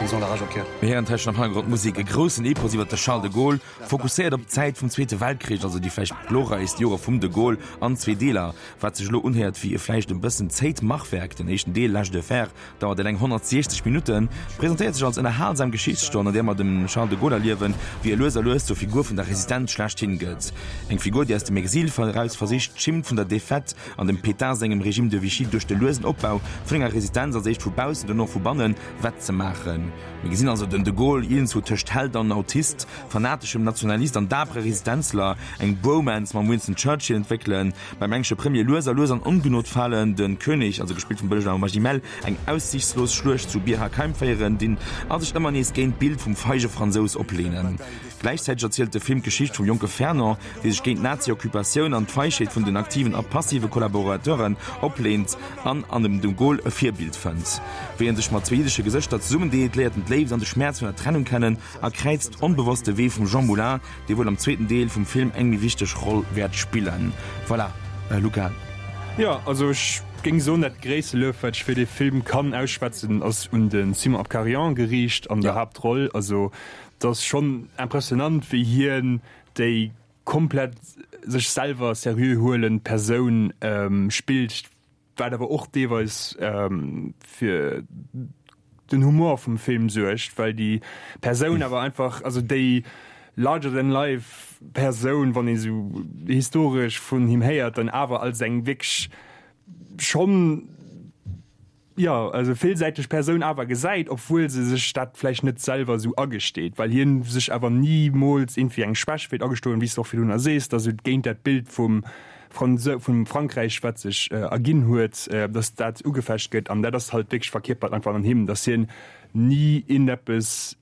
Ils ont la rage au cœur. Mir héieren tëschent am Hannergrond d'Musek, e groussen Epos iwwer de Charles de Gaulle, fokusséiert op d'Zäit vum Zweete Weltkrich, also déi vläicht glorreichst Jore vum de Gaulle, an zwee Deeler, wat sech elo unhéiert wéi e vläicht e bëssen zéit Machwerk. Den éischten Deel, L'Age de fer, dauert eleng 160 Minutten, presentéiert sech als ënnerhalsam Geschichtsstonn, an där mer dem Charles de Gaulle erliewen, wéi e lues a lues zur Figur vun der Resistenz schlechthin gëtt. Eng Figur, déi aus dem Exil eraus versicht, d'Schimmt vun der Defaite an dem Pétain sengem Régime de Vichy duerch de luesen Opbau vun enger Resistenz, als éischt vu baussen, dono vu bannen, wettzemaachen. Mir gesinn also den de Gaulle iergendzwou tëscht Held an Autist, fanateschem Nationalist an dapere Resistenzler, eng Bromance mam Winston Churchill entwéckelen, beim englesche Premier lues a lues an Ongnod falen, de König, also gespillt vum Benjamin Magimel, eng aussichtslos Schluecht zu Bir Hakeim féieren dinn a sech ëmmer nees géint d'Bild vum feige Fransous opleenen. Gläichzäiteg erzielt de Film d'Geschicht vum jonke Fernand, dee sech géint d'Nazi-Occupatioun an d'Feigheet vun den aktiven a passive Kollaborateuren opleent an an dem de Gaulle e Virbild fënnt. Wéi en sech mat zwee jiddesche Gesëschter zesummendeet, léiert en d'Léift an de Schmäerz vun der Trennung kennen a kräizt onbewosst de Wee vum Jean Moulin, dee wuel am zweeten Deel vum Film eng méi wichteg Roll wäert spillen. Voilà, Luca. Jo, also ech géing soen, dat gréisste Luef, wat ech fir dee Film kann ausschwätzen, ass un de Simon Abkarian geriicht an der Haaptroll. Also et ass schonn impressionant, wéi hien déi komplett sech selwer seriö huelend Persoun spillt, wat awer och deelweis fir den Humor vum Film suergt, well déi Persoun awer einfach, also déi larger than life Persoun, wann ee sou historesch vun him héiert, dann awer als eng wierklech schonn, jo, also villsäiteg Persoun awer gesäit, obwuel se sech dat vläicht net selwer esou agesteet, well hien sech awer nimools iergendwéi eng Schwächt wéilt agestoen, wéi s de och virdrunner sees, dass et géint dat Bild vum Franse vum Frankräich, wat sech erginn huet, dass dat ugefecht gëtt. An dat ass halt wierklech verkierpert einfach an him, dass hien ni iergendeppes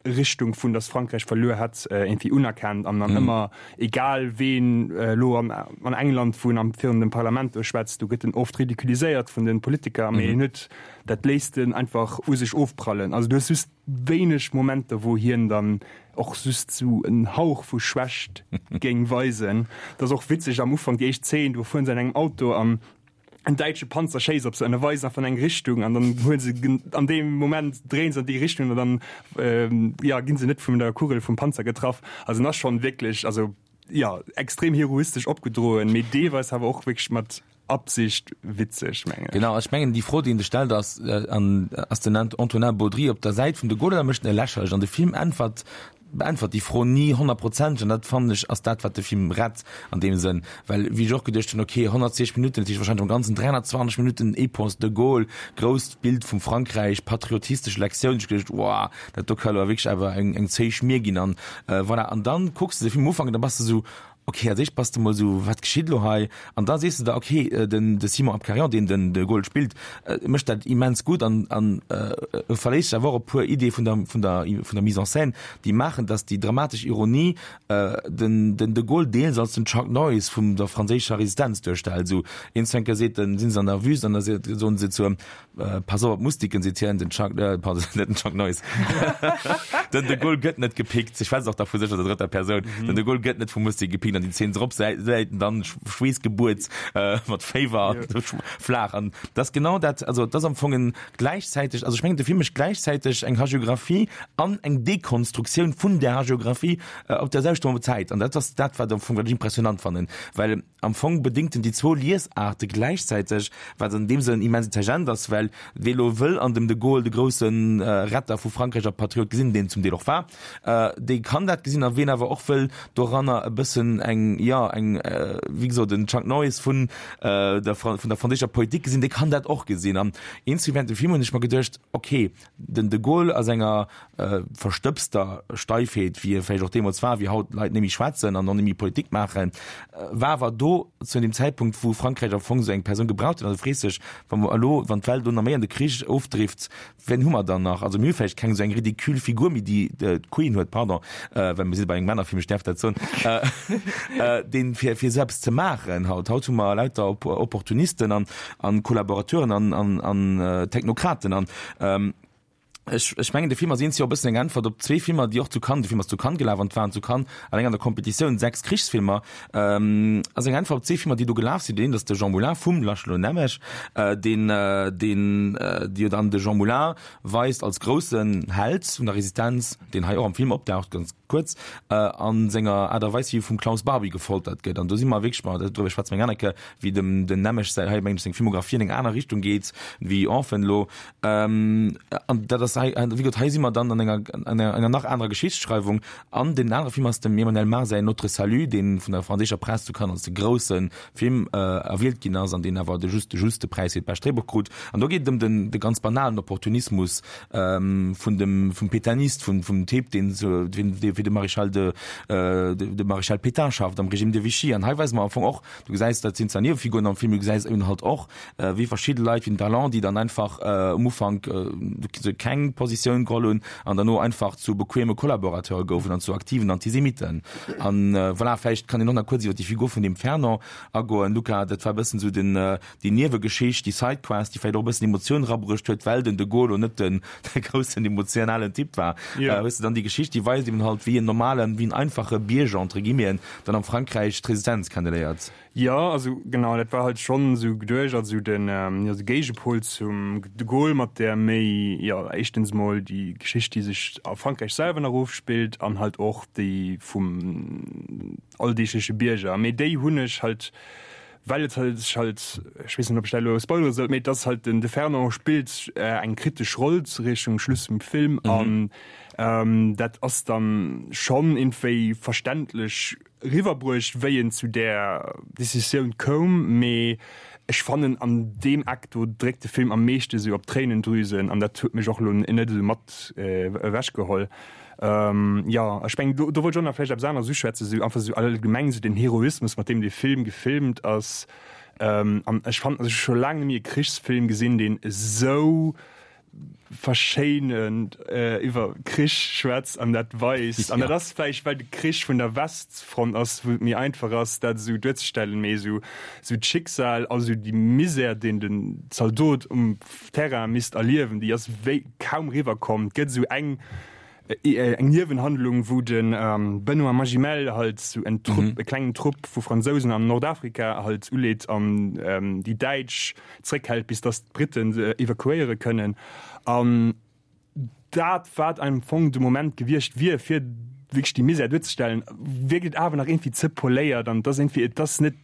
Richtung vun dass Frankräich verluer hätt iergendwéi unerkennt an dann ëmmer, egal ween elo an an England wou en am virun dem Parlament do schwätzt, do gëtt en oft ridiculiséiert vun de Politiker, mee en huet dat léisst en einfach u sech ofprallen. Also du hues just wéineg Momenter wou hien dann och just sou en Hauch vu Schwächt géing weisen. Dat ass och witzeg am Ufank déi éischt Zeen, do fueren se an engem Auto an en däitsche Panzer schéisst op se an e weist einfach an eng Richtung an dann huelen se an deem Moment dréien se an déi Richtung an dann jo ginn se net vun der Kugel vum Panzer getraff. Also en ass schonn wierklech also jo extrem heroistesch opgedroen, mee deelweis awer och wierklech mat Absicht witzeg mengen ech. Genau, ech mengen déi Fro déi een sech stellt ass, an ass den Antonin Baudry op der Säit vum de Gaulle oder mécht en e lächerlech? An de Film äntwert beäntwert déi Fro ni honnertprozenteg an dat fannen ech ass dat wat de Film rett an deem Sënn, well wéi ech och geduecht hunn, ok 160 Minutten, dat heescht wahrscheinlech am Ganzen 320 Minutten Epos de Gaulle, grousst Bild vum Frankräich, patriotistesch Lektioun, ech geduecht, wow, dat do ka lo wierklech awer eng eng zéi Schmier ginn an voilà. An dann kucks de de Film am Ufank an da bass de sou, Ok, als éischt bass de mol esou, wat geschitt elo hei? An da sees de der, ok, den de Simon Abkarian, deen den de Gaulle spillt, mécht dat immens gutt an an e verléisst sech awer och op e puer Ideeë vun der vun der vun der Mise en scène, déi maachen, datt déi dramatesch Ironie den den de Gaulle deels als den Chuck Norris vum der franséischer Resistenz duerstellt. Esou een Zwenker seet en, sinn se an der Wüst an da soen se zu em, Pass op op d'Mustiken, seet hien, den Chuck, pardon, net den Chuck Norris. Den De Gaulle gëtt net gepickt. Ech schwätzt och da vu sech an der drëtter Persoun. Den De Gaulle gëtt net vu Mustik gepickt. ginn an déi Zeen drop säit en dann Schweessgebuert mat Féiwer an flaach. An dat ass genau dat, also dat ass am Fong en gläichzäiteg, also ech mengen de Film mécht gläichzäiteg eng Hagiographie an eng Dekonstruktioun vun där Hagiographie op der selwechter Zäit. An dat ass dat, wat am Fong, wat ech impressionant fannen, well am Fong bedéngt en déi zwou Liesaarte gläichzäiteg, wat an deem Sënn immens intelligent ass, well wee lo wëll an dem de Gaulle de grousse Retter vu Frankräich a Patriot gesinn, deen zum Deel och war, dee kann dat gesinn, a ween awer och wëll doranner e bëssen eng, jo, eng, wéi gesot, en Chuck Norris vun der, vun der franséischer Politik gesinn, dee kann dat och gesinn. An eenzel während dem Film hunn ech mer geduecht, okay, den de Gaulle a senger verstëbster Steifheet, wéi e vläicht och deemools war, wéi haut Leit net méi schwätzen an och net méi Politik maachen, war awer do zu deem Zäitpunkt, wou Frankräich am Fong esou eng Persoun gebraucht huet. An du frees dech, wa mer elo, wann d'Welt elo nach méi an de Krich ofdrift, Wien hu mer dann nach? Also mir hu vläicht keng esou eng ridicule Figur méi, déi d'Queen huet, pardon, well mir si bei engem Männerfilm, ech däerf dat soen, deen fir fir esou eppes ze maachen haut. Haut hu mer lauter Opportunisten an an Kollaborateuren an an an Technokraten an ech ech mengen de Film ass eens jo e bëssen eng Äntwert op zwee Filmer, déi och zu Cannes, de Film ass zu Cannes gelaf an et waren zu Cannes alleng an der Competitioun 6 Krichsfilmer, ass eng Äntwert op zwee Filmer, déi do gelaf sinn. Deen eent ass de Jean Moulin vum László Nemes, deen deen jo dann de Jean Moulin weist als groussen Held vun der Resistenz, deen hei och am Film opdaucht, ganz kuerz, a senger Aart a Weis, wéi e vum Klaus Barbie gefoltert gëtt. An do si mer wierklech, ma doriwwer schwätze mer eng aner Kéier, wéi dem den Nemes säi, hei mengen ech, seng Filmographie an eng aner Richtung geet wéi Orphan elo. An dat ass hei, wéi gesot, hei si mer dann an enger, an enger nach anerer Geschichtsschreiwung. An deen anere Film ass dem Emmanuel Mar säin Notre Salut, dee vun der franséischer Press zu Cannes als de grousse Film erwielt ginn ass an deen awer de just de juste Präis fir d'bescht Dréibuch krut. An do geet et ëm den de ganz banalen Opportunismus vun dem vum Pétainiste, vum vum Typ, deen zu deen dee fir de Maréchal de de Maréchal Pétain schafft am Régime de Vichy. An hei weise mer am Fong och, du gesäis, dat sinn zwar Niewefiguren am Film, du gesäis eben halt och, wéi verschidde Leit wéi den Darlan, déi dann einfach um Ufank keng Positioun geholl hunn an derno einfach zu bequeme Collaborateure goufen an zu aktiven Antisemiten. An voilà, vläicht kann een och nach kuerz iwwer déi Figur vun deem Fernand agoen. Luca, dat war e bëssen esou den, déi Niewegeschicht, déi Sidequest, déi vläicht och e bëssen Emotioun erabruecht huet, well den de Gaulle lo net den groussen emotionalen Typ war. Hues de dann déi Geschicht, déi weist eben halt, wéi en normalen, wéi en einfache Bierger, entre guillemeten, dann am Frankräich d'Resistenz kenneléiert. Jo, also genau, dat war halt schonn esou geduecht als esou den, jo, de Géigepol zum de Gaulle mat där méi, jo, éischtens emol déi Geschicht, déi sech a Frankräich selwer nach ofspillt an halt och déi vum alldeegleche Bierger. Mee déi hunn ech halt, well et halt sech halt, ech weess net, ob ech dat elo spoilere sollt, mee et ass halt den de Fernand spillt eng kritesch Roll Richtung Schluss vum Film an dat ass dann schonn iergendwéi verständlech, Eriwwerbruecht, wéi en zu där Decisioun koum, mee ech fannen an deem Eck do dréckt de Film am meeschte sou op d'Tréinendrüsen an dat huet mech och elo net esou mat ewech geholl. Jo, ech mengen do wollt ech och nach vläicht eppes aneres uschwätzen, sou einfach sou allgemeng sou den Heroismus mat deem dee Film gefilmt ass an ech fannen, also ech hu scho laang net méi e Krichsfilm gesinn, deen esou verschéinend iwwer Krich schwätzt an dat weist. An dat ass vläicht, well de Krich vun der Westfront ass, wou et méi einfach ass, dat esou duerzestellen, mee esou esou d'Schicksal, also déi Misär, deen den Zaldot um Terrain misst erliewen, déi ass wéi kaum riwwerkomm. Et gëtt esou eng eng Niewenhandlung, wou de Benoît Magimel halt esou en Trupp, e klengen Trupp vu Fransousen an Nordafrika halt uleet an déi Däitsch zréckhält, bis datt d'Britten se evakuéiere kënnen. An dat, wat am Fong de Moment gewiescht wier, fir wierklech déi Misär duerzestellen, wierkt et awer nach iergendwéi ze poléiert an et ass iergendwéi, et ass net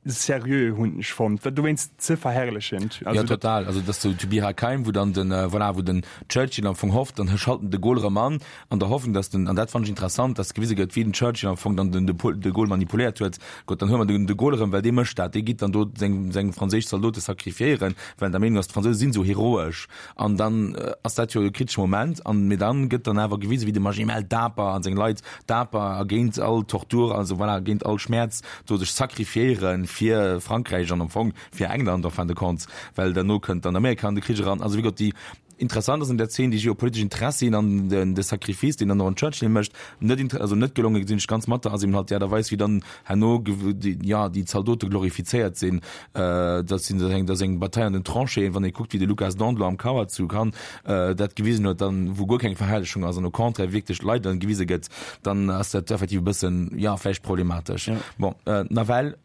seriö, hunn ech fonnt, dat dowéinst ze verherrlechend. Also, ja, total. Also dass du zu Bir Hakeim, wou dann den, voilà, wou den Churchill am Fong hofft, dann schalten de Gaulle erëm an, an der Hoffnung, dass den, an dat fand ech interessant, dass gewise gëtt, wéi den Churchill am Fong dann den de, de Gaulle manipuléiert huet. Gutt, dann huele mer den de Gaulle erëm, well dee mécht dat, dee geet dann do seng, seng franséisch Zaldote sacrifiéieren, well en der Meenung ass, d'Fransouse sinn esou heroesch. An dann ass dat jo e kritesche Moment. An, mee dann gëtt dann awer gewisen, wéi de Magimel daper an seng Leit daper a géint all Tortur, also voilà, géint all Schmäerz do sech sacrifiéiere fir Frankräich an am Fong fir England en fin de compte, well derno kënnt dann Amerika an de Krich eran. Also wéi gesot, déi. Interessant ass an där Zeen déi geopolitesch Interessien an den de Sacrifice, deen dann och en Churchill mécht. Net inter also net gelonge gesinn ech ganz mat der ass eben halt déi Aart a Weis wéi dann herno déi ja déi Zaldote glorifizéiert sinn. Dat sinn dat eng dat ass eng Bataille an den Tranchéeën, wann ee kuckt wéi de Lucas Dandelot am Kauer zu Cannes dat gewisen huet, dann wou guer keng Verherrlechung ass an au contraire wierklech d'Leit dann gewise gëtt, dann ass dat effektiv e bëssen ja vläicht problematesch. Bon nawell.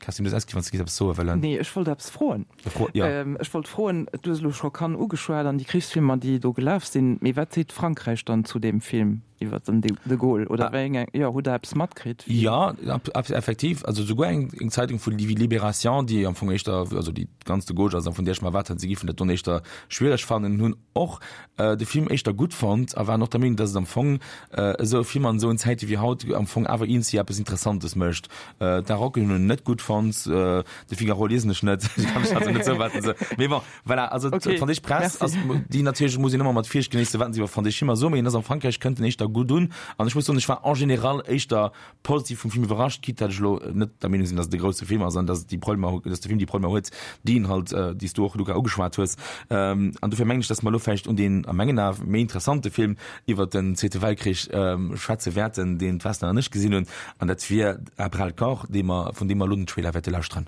Kerstin, du hues ausginn, wann s de géifs eppes soe wëllen. Nee, ech wollt eppes froen. Fro, jo. Ech wollt froen, du hues elo scho Cannes ugeschwat an déi Krichsfilmer, déi do gelaf sinn, mee wat seet Frankräich dann zu deem Film iwwer den de Gaulle? Oder wéi eng, jo, hutt Der eppes matkritt? Jo, effektiv. Also souguer eng Zeitung vu wéi Libération, déi am Fong éischter, also déi ganz de Gauche ass a vun där ech mer erwaart hat, si géifen dat don éischter schwiereg fannen, hunn och de Film éischter gutt fonnt a waren och der Meenung, dass et am Fong esou e Film an esou en Zäite wéi haut am Fong awer eenzi eppes Interessantes mécht. D'Arocken hunn en net gutt fonnt, de Figaro liesen ech net, ech kann mech also net soen, wat se soen. Mee bon, voilà, also d'franséisch Press ass, déi natierlech muss een ëmmer mat Virsicht genéissen, wat se iwwer franséisch Filmer soen, mee en ass am Frankräich kënnt en éischter gutt un an ech muss soen, ech war en général éischter positiv vum Film iwwerrascht, quitte datt ech elo net der Meenung sinn, datt et e grousse Film ass an datt et déi Problemer, datt de Film déi Problemer huet, déi en halt, déi s du och, Luca, ugeschwat hues. An dofir mengen ech, datt mer elo vläicht un deen a mengen Ae méi interessante Film iwwert den Zweete Weltkrich schwätze wäerten, deen d'Vesna an ech gesinn hunn, an dat wier À bras-le-corps, dee mer, vun deem mer elo den Trailer wäerte lauschteren.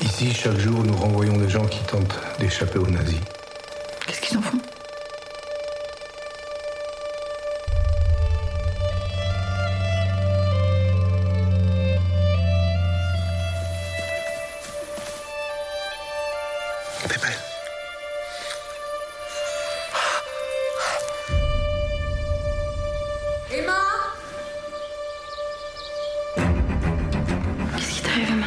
Ici, chaque jour, nous renvoyons des gens qui tentent d'échapper aux nazis. Qu'est-ce qu'ils en font? Emma Qu'est-ce qui t'arrive, Emma?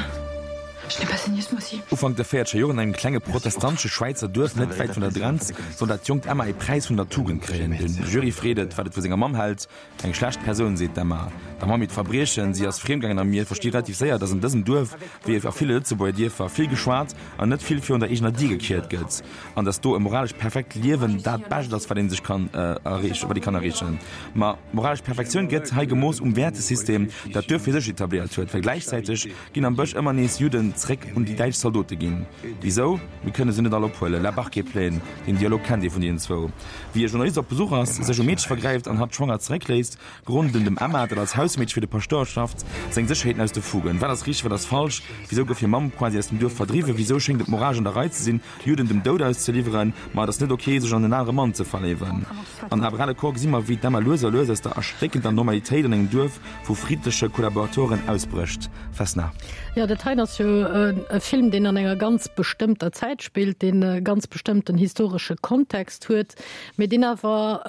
Je n'ai pas saigné ce mois-ci. Ufank der véierzeger Joren an engem klenge protestantesche Schwäizer Duerf net wäit vun der Grenz soll dat jonkt Emma ee Präis vun der Tugend kréien. De Jury freet et, wat et vu senger Mamm hält. Eng schlecht Persoun, seet d'Emma. Der Mamm hiert Verbriechen, si ass friemgaangen a mir versti relativ séier, datt an dësem Duerf, wéi a ville Lëtzebuerger Dierfer, vill geschwat an net vill virun der eegener Dier gekiert gëtt an datt do e moralesch perfekt Liewen dat Bescht ass, wat ee sech kann erreechen, wat ee kann erreechen. Ma moralesch Perfektioun gëtt hei gemooss um Wäertesystem, dat d'Duerf fir sech etabléiert huet, well gläichzäiteg ginn am Bësch ëmmer nees Judden zréck un déi däitsch Zaldote ginn. Wisou? Mir kënne se net all ophuelen. La barque est pleine. Deen Dialog kennt ee vun deenen zwou. Wéi e Journalist op Besuch ass, sech um Meedche vergräift an hatt schwanger zeréckléisst, geroden dem Emma, dat als Hausmeedche fir de Paschtouer schafft, seng Sécherheeten aus de Fugen. Wat ass richteg, wat ass falsch? Wisou gouf hir Mamm quasi aus dem Duerf verdriwwen? Wisou schéngt et moralesch an der Rei ze sinn, Juden dem Doud auszeliwweren? Ma et ass net ok, sech an en anere Mann ze verléiwen. An À bras le corps gesi mer, wéi d'Emma lues a lues aus der erstéckender Normalitéit an engem Duerf vu friddleche Kollaboratoren ausbrécht. Vesna. Jo, dat heien ass jo e Film, deen an enger ganz bestëmmter Zäit spillt, deen e ganz bestëmmten historesche Kontext huet, mee deen awer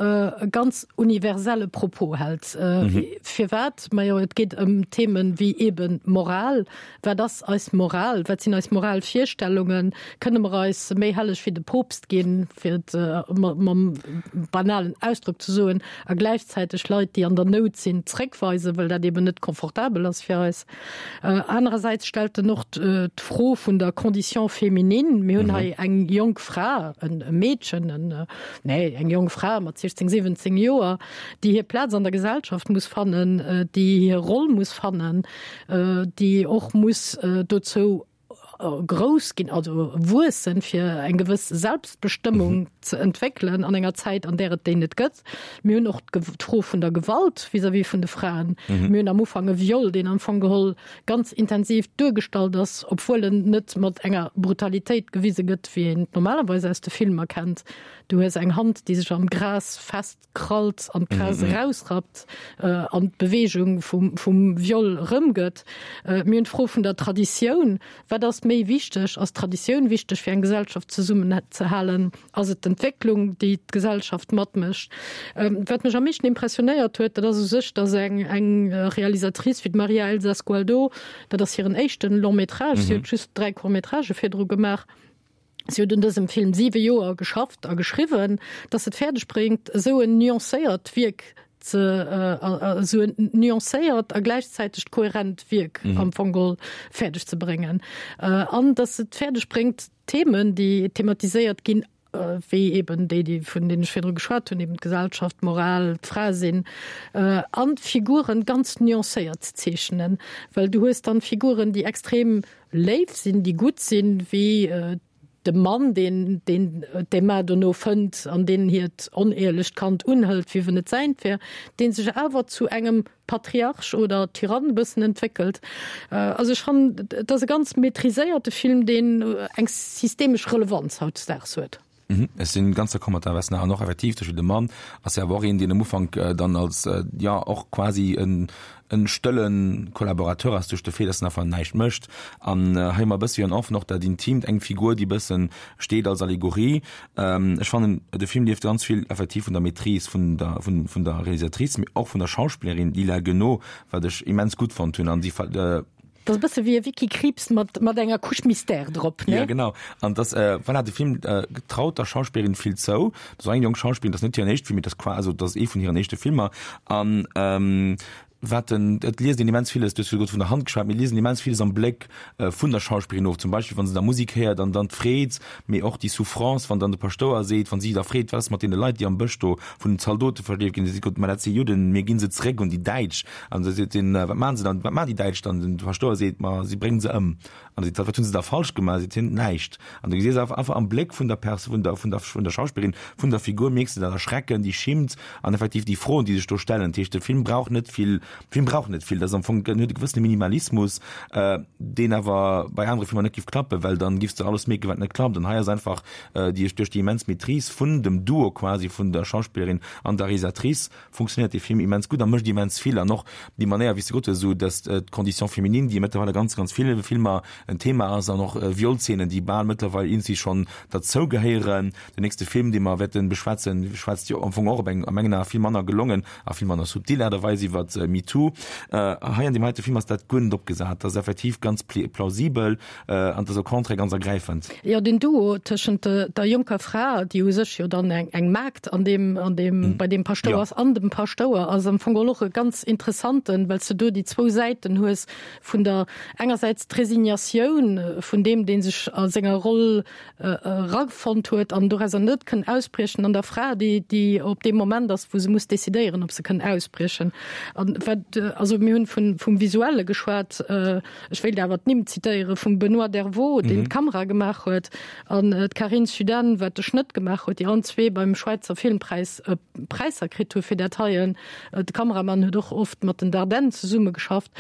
e ganz universelle Propos hält. Firwat? Majo, et geet ëm Themen wéi eeben Moral. Wat ass eis Moral? Wat sinn eis Moralvirstellungen? Kënne mer eis méi helleg wéi de Poopst ginn, fir et mam banalen Ausdrock ze soen, a gläichzäiteg Leit, déi an der Nout sinn, zréckweisen, well dat eben net confortabel ass fir eis? Anerersäits stellt en och d'Fro vun der Condition féminine. Mir hunn hei eng jonk Fra, e Meedchen, en, nee, eng jonk Fra mat 16, 17 Joer, déi hir Plaz an der Gesellschaft muss fannen, déi hir Roll muss fannen, déi och muss dozou grouss ginn, also wuessen, fir eng gewëss Selbstbestëmmung ze entwéckelen an enger Zäit, an där et déi net gëtt. Mir hunn och d'Fro vun der Gewalt vis-à-vis vun de Fraen. Mir hunn am Ufank e Viol, deen am Fong geholl ganz intensiv duergestallt ass, obwuel en net mat enger Brutalitéit gewise gëtt, wéi een et normalerweis aus de Filmer kennt. Du hues eng Hand, déi sech am Gras fest krallt an d'Gras erausrappt an d'Beweegung vum Viol erëmgëtt. Mir hunn d'Fro vun der Traditioun. Wat ass méi wichteg? Ass d'Traditioun wichteg, fir eng Gesellschaft zesummenzehalen? Ass et d'Entwécklung, déi d'Gesellschaft matmécht? Wat mech am meeschten impressionéiert huet, dat ass u sech, datt eng Realisatrice wéi d'Maria Elsa Sgualdo, dat ass hiren éischten Long-métrage, si huet just 3 Court-métragë virdru gemaach, Si huet un dësem Film siwe Joer geschafft a geschriwwen, datt et fäerdeg bréngt, esou en nuancéiert Wierk ze, esou en nuancéiert a gläichzäitegt kohärent Wierk am Fong geholl fäerdeg ze bréngen. An datt et fäerdeg bréngt, d'Themen, déi thematiséiert ginn, wéi eben déi, déi vun deenen ech virdru geschwat hunn, eben d'Gesellschaft, d'Moral, d'Fra sinn, an d'Figuren ganz nuancéiert ze zeechnen, well du hues dann Figuren, déi extrem léif sinn, déi gutt sinn, wéi de Mann, deen deen d'Emma dono fënnt an deen hiert oneeërlecht Kand unhëlt, wéi wann et säint wär, dee sech awer zu engem Patriarch oder Tyrann e bëssen entwéckelt. Also ech fannen, et ass e ganz maîtriséierte Film, deen eng systemesch Relevanz hautdesdaags huet. Ech sinn ganz d'accord mat der Vesna an och effektiv de Mann ass jo awer och een, deen am Ufank dann als jo och quasi en en stëlle Collaborateur ass duerch de Fait, dass en einfach näischt mécht. An hei hu mer e bësse jo en Enfant och dat Intimt, eng Figur, déi e bëssen steet als Allegorie. Ech fannen de Film lieft ganz vill effektiv vun der Maîtrise vun der vun vun der Realisatrice, mee och vun der Schauspillerin Lila Guenaud, wat ech immens gutt fonnt hunn an si. Dat ass e bësse wéi e Vicky Krieps mat, mat enger Couche Mystère drop, ne? Ja, genau. An das, äh, voilà, de Film äh, traut der Schauspillerin vill zou. Dat ass eng jonk Schauspillerin, dat ass net hiren éischte Film, mee dat ass qua, also dat ass ee vun hiren éischte Filmer. An ähm, wat den, et liest een immens villes, du hues virdru vun der Hand geschwat, mir liesen immens villes am Bléck äh, vun der Schauspillerin of. Zum Beispill, wann se da Musik héiert an dann d'Freed, mee och déi Souffrance, wann dann de Paschtouer seet, wann si da freet, wat ass mat deene Leit, déi am Bësch do vun den Zaldote verschleeft ginn, da seet Gott, ma dat si Judden, mir gi se zeréck un déi Däitsch. An da seet hien, Wat maachen se dann? Wat maachen déi Däitsch dann? Den Paschtouer seet, Ma si bréngen se ëm. An da seet hatt, Wat hunn se da falsch gemaach? Seet hien, Näischt. An du gesäis einfach einfach am Bléck vun der Pers-, vun der, vun der, vun der Schauspillerin, vun der Figur, mierks de dat Erschrecken, déi Schimmt an effektiv déi Froen, déi sech do stellen. Dat heescht, de Film brauch net vill, de Film brauch net vill. Dat ass am Fong, en huet e gewëssene Minimalismus, deen awer bei anere Filmer net géif klappen, well dann giffs de alles mierken, wat net klappt. An hei ass einfach déi, duerch déi immens Maîtrise vun dem Duo quasi, vun der Schauspillerin an der Realisatrice, funktionéiert dee Film immens gutt a mécht immens vill an och déi Manéier wéi s de gesot hues, esou datt d'Condition féminine, déi mëttlerweil a ganz, ganz ville Filmer en Thema ass an och Violzeenen, déi bal mëttlerweil iergendwéi schonn derzou gehéieren. Den nächste Film, dee mer wäerte beschwätzen, schwätzt jo am Fong och op eng a mengen Ae vill manner gelongen a vill manner subtil Aart a Weis iwwer MeToo. Hei an deem heite Film ass dat guer net opgesat, dat ass effektiv ganz plausibel an et ass au contraire ganz ergräifend. Jo, den Duo tëschent der jonker Fra, déi u sech jo dann eng eng Maagd an deem an deem bei deem Paschtouer ass, an dem Paschtouer ass am Fong och e ganz interessanten, well s de do déi zwou Säiten hues vun der engersäits d'Resignatioun vun deem, dee sech a senger Roll erafonnt huet an dorauser net kënn ausbriechen, an der Fra, déi déi op deem Moment ass, wou se muss decidéieren, ob se kënn ausbriechen. An wat also mir hunn vun vum Visuelle geschwat. Ech wéilt awer d'Nimm zitéiere vum Benoît Dervaux, deen d'Kamera gemaach huet, an d'Carine Sudenne, wat de Schnëtt gemaach huet, déi allen zwee beim Schwäizer Filmpräis Präisser kritt hu fir dat heien. De Kameramann huet och oft mat den Dardennes zesummegeschafft.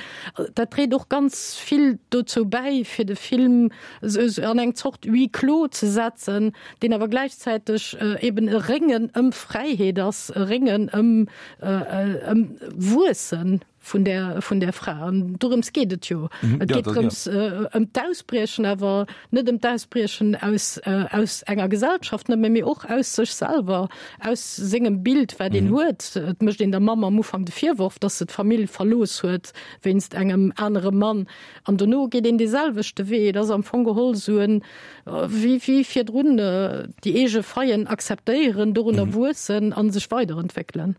Dat dréit och ganz vill dozou bäi, fir de Film an eng Zort Huis clos ze setzen, deen awer gläichzäiteg eben e Réngen ëm Fräiheet ass, e Réngen ëm Wuessen. vun der, vun der Fra. An dorëms geet et jo. Mhm, et geet drëms äh, ëm d'Ausbriechen, awer net ëm d'Ausbriechen aus, äh, aus enger Gesellschaft nëmme, mee och aus sech selwer, aus sengem Bild, wat een mhm. huet. Et mécht een der Mamm am Ufank de Virworf, dass se d'Famill verlooss huet wéinst engem anere Mann. An dono geet een dee selwechte Wee. Et ass am Fong geholl sou en, äh, wéi, wéi virdrun, äh, déi eege Faillen akzeptéieren, dorunner mhm. wuessen an sech weiderentwéckelen.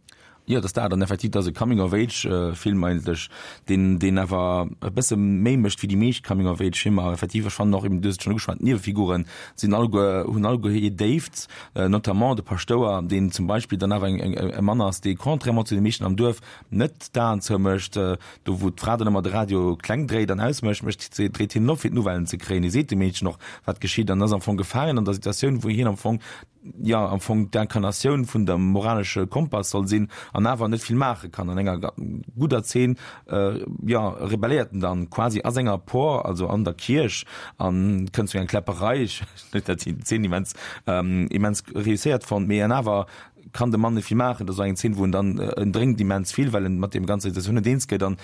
Jo, et ass dat. An effektiv, et ass e Coming-of-Age-Film eigentlech, deen, deen awer e bësse méi mécht wéi déi meescht Coming-of-Age-Filmer. Effektiv, ech fannen och eben, du hues et schonn ugeschwat, d'Niewefiguren sinn alleguer, hunn alleguer hir Déift, notamment de Paschtouer, deen zum Beispill dann awer eng, eng, e Mann ass, dee contrairement zu de meeschten am Duerf net d'Aen zoumécht, do wou d'Fra dann ëmmer de Radio kleng dréit an ausmécht, mécht, dréit hien en op fir d'Nouvellen ze kréien. Hie seet dem Meedchen och, wat geschitt an ass am Fong gefaangen an der Situatioun, wou hien am Fong jo am Fong d'Incarnatioun vun dem moralesche Kompass soll sinn an awer net vill maache kann. An enger gudder Zeen jo rebelléiert en dann quasi a senger Por, also an der Kierch an kënnt zu enger Kläpperei. Ech hunn dat déi Zeen immens immens reusséiert fonnt, mee an awer kann de Mann net vill maachen. Dat ass och eng Zeen wou en dann en drénkt immens vill, well en mat deem ganzer Situatioun net eens gëtt an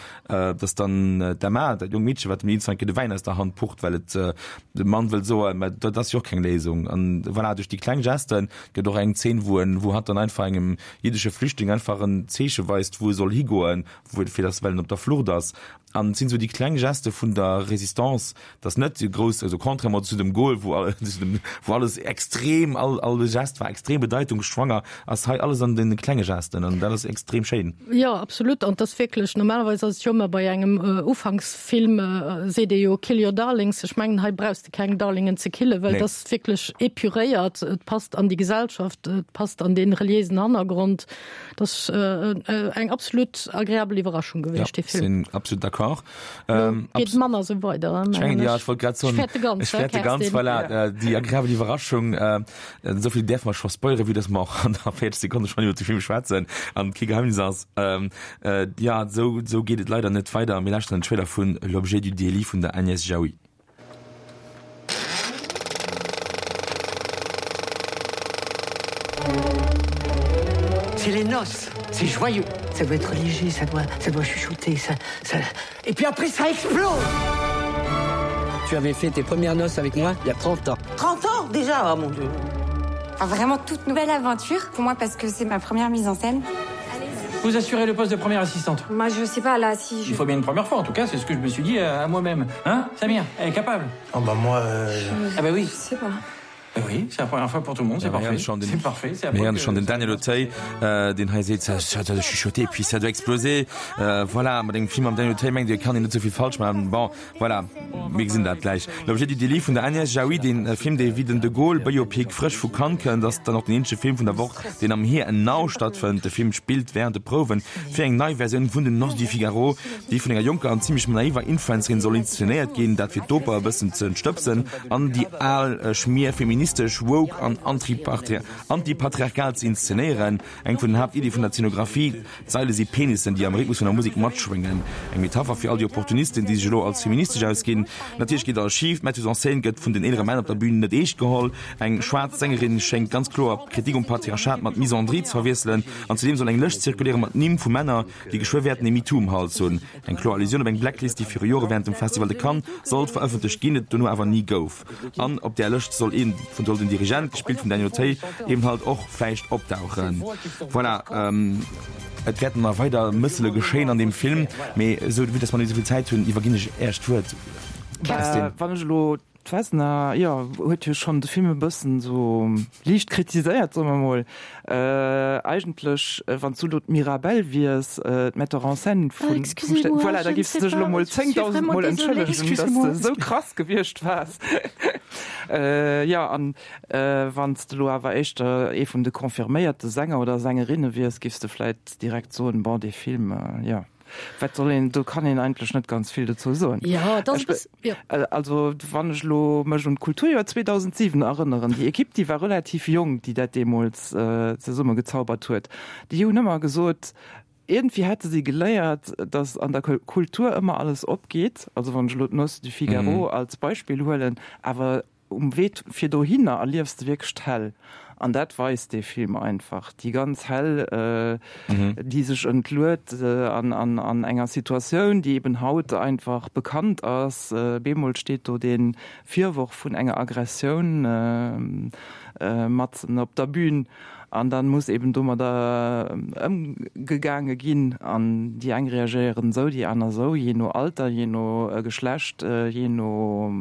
dass dann d'Emma, dat jonkt Meedche wat dem Nils Franke de Wäin aus der Hand pucht, well et De Mann wëll soen, mä dat ass jo och keng Léisung. An voilà, duerch déi kleng Gesten gëtt och eng Zeen, wou en, wou hatt dann einfach engem jiddesche Flüchtling einfach en Zeeche weist, wou e soll higoen, wou, fir dass, well en op der Flucht ass. An et sinn esou déi kleng Geste vun der Résistance, dass net déi grouss, also contrairement zu dem Gaulle, wou wou alles extrem, all all Gest war extrem bedeitungsschwanger, ass hei alles an den klenge Gesten an dat ass extrem schéin. Jo, absolut. An et ass wierklech, normalerweis ass et jo ëmmer bei engem Ufanksfilm, seet ee jo kill your darlings. Ech mengen, hei brauchs de keng Darlingen ze killen, well et ass wierklech epuréiert, et passt an déi Gesellschaft, et passt an dee reliéisen Hannergrond. Et ass eng absolut agreabel Iwwerraschung gewiescht, dee Film. Sinn absolut d'accord. Geet manner esou weider, mengen ech. Jo, ech wollt grad soen, ech fäerte ganz, ech fäerte ganz, voilà, déi agreabel Iwwerraschung. Esou vill däerfe mer scho spoileren, vue dass mer och an der 40 Sekonne schonn iwwer de Film schwätzen an et kee Geheimnis ass. Jo, esou, esou geet et leider net weider. Mir lauschteren den Trailer vun L'objet du délit vun der Agnès Jaoui. C'est les noces, c'est joyeux. Ça doit être léger, ça doit, ça doit chuchoter, ça, ça... Et puis après, ça explose Tu avais fait tes premières noces avec moi il y a 30 ans. 30 ans déjà, oh mon Dieu enfin, Vraiment toute nouvelle aventure pour moi parce que c'est ma première mise en scène. Vous assurez le poste de première assistante Moi je sais pas là si je... Il faut bien une première fois en tout cas c'est ce que je me suis dit à, à moi-même hein Samir elle est capable oh, bah moi euh... je... ah bah oui je sais pas bah oui c'est la première fois pour tout le monde c'est parfait c'est parfait c'est la schon den Daniel Auteuil euh, den hei seet ça, ça doit chuchoter puis ça doit exploser euh, voilà mat engem Film am Daniel Auteuil mengt Dir kann een net souvill falsch maachen bon Voilà, mir gesinn dat gläich. L'objet du délit vun der Agnès Jaoui, dee Film, dee wéi den De Gaulle Biopic frësch vu Cannes kënnt, ass dann och den eenzege Film vun der Woch, deen am Here and Now stattfënnt. De Film spillt wärend de Prouwen fir eng nei Versioun vun den Noces du Figaro, déi vun enger jonker an zimmlech naiver Influencerin soll inszenéiert ginn, dat fir d'Oper e bëssen ze entstëbsen an déi al Schmier feministesch, woke an antipatriarchal ze inszenéieren. Eng vun den Haaptiddie vun der Zenographie, D'Saile si Penissen, déi am Rhythmus vun der Musek matschwéngen. Eng Metapher fir all déi Opportunisten, déi sech elo als feministesch ausginn. Natierlech geet alles schif, d'Metteuse en scène gëtt vun den eelere Männer op der Bün net eescht geholl, eng schwaarz Sängerin schéngt ganz kloer Kritik um Patriarchat mat Misandrie ze verwiesselen an zudeem soll eng Lëscht zirkuléiere mat Nimm vu Männer, déi geschwë wäerten ee MeToo um Hals hunn. Eng kloer Allusioun op eng Blacklist, déi viru Jore wärend dem Festival de Cannes sollt verëffentlecht ginn, et dono awer ni gouf. An op där Lëscht soll een vun soll den Dirigent, gespillt vum Daniel Auteuil, eben halt och vläicht opdauchen. Voilà, et wäerten nach weider Mëssele geschéien an deem Film, mee esou vue dass mer net esou vill Zäit hunn, iwwerginn ech Äech d'Wuert, Kerstin. Wann ech elo D'Vesna, jo, huet jo schonn de Film e bëssen esou liicht kritiséiert, soe mer mol. Eigentlech, wann s du elo d'Mirabelle wiers, d'Metteur en scène vun, vum Stéck, voilà, da giffs de dech elo mol 10.000 Mol entschëllegen, dass de esou krass gewiescht waars. Jo, an wann s de elo awer éischter ee vun de confirméierte Sänger oder Sängerinne wiers, giffs de vläit direkt soen, bon, dee Film, jo. Wat soll een, do kann een eigentlech net ganz vill dozou soen. Jo, et ass e bëssen, jo. Also wann ech elo mech un d'Kulturjoer 2007 erënneren, déi Ekipp, déi war relativ jonk, déi dat deemools zesummegezaubert huet, déi hunn ëmmer gesot, iergendwéi hätte si geléiert, datt an der Kultur ëmmer alles opgeet, also wann ech elo d'Noces du Figaro als Beispill huelen, awer Um Wee fir dohinner erliefs de wierklech d'Hell. An dat weist dee Film einfach. Déi ganz Hell, déi sech entluet an enger Situatioun, déi eben haut einfach bekannt ass. Bemol steet do dee Virworf vun enger Aggressioun matzen op der Bühn. An dann muss eben domadder ëmgegaange ginn. An déi eng reagéieren esou, déi aner esou, jee no Alter, jee no Geschlecht, jee no,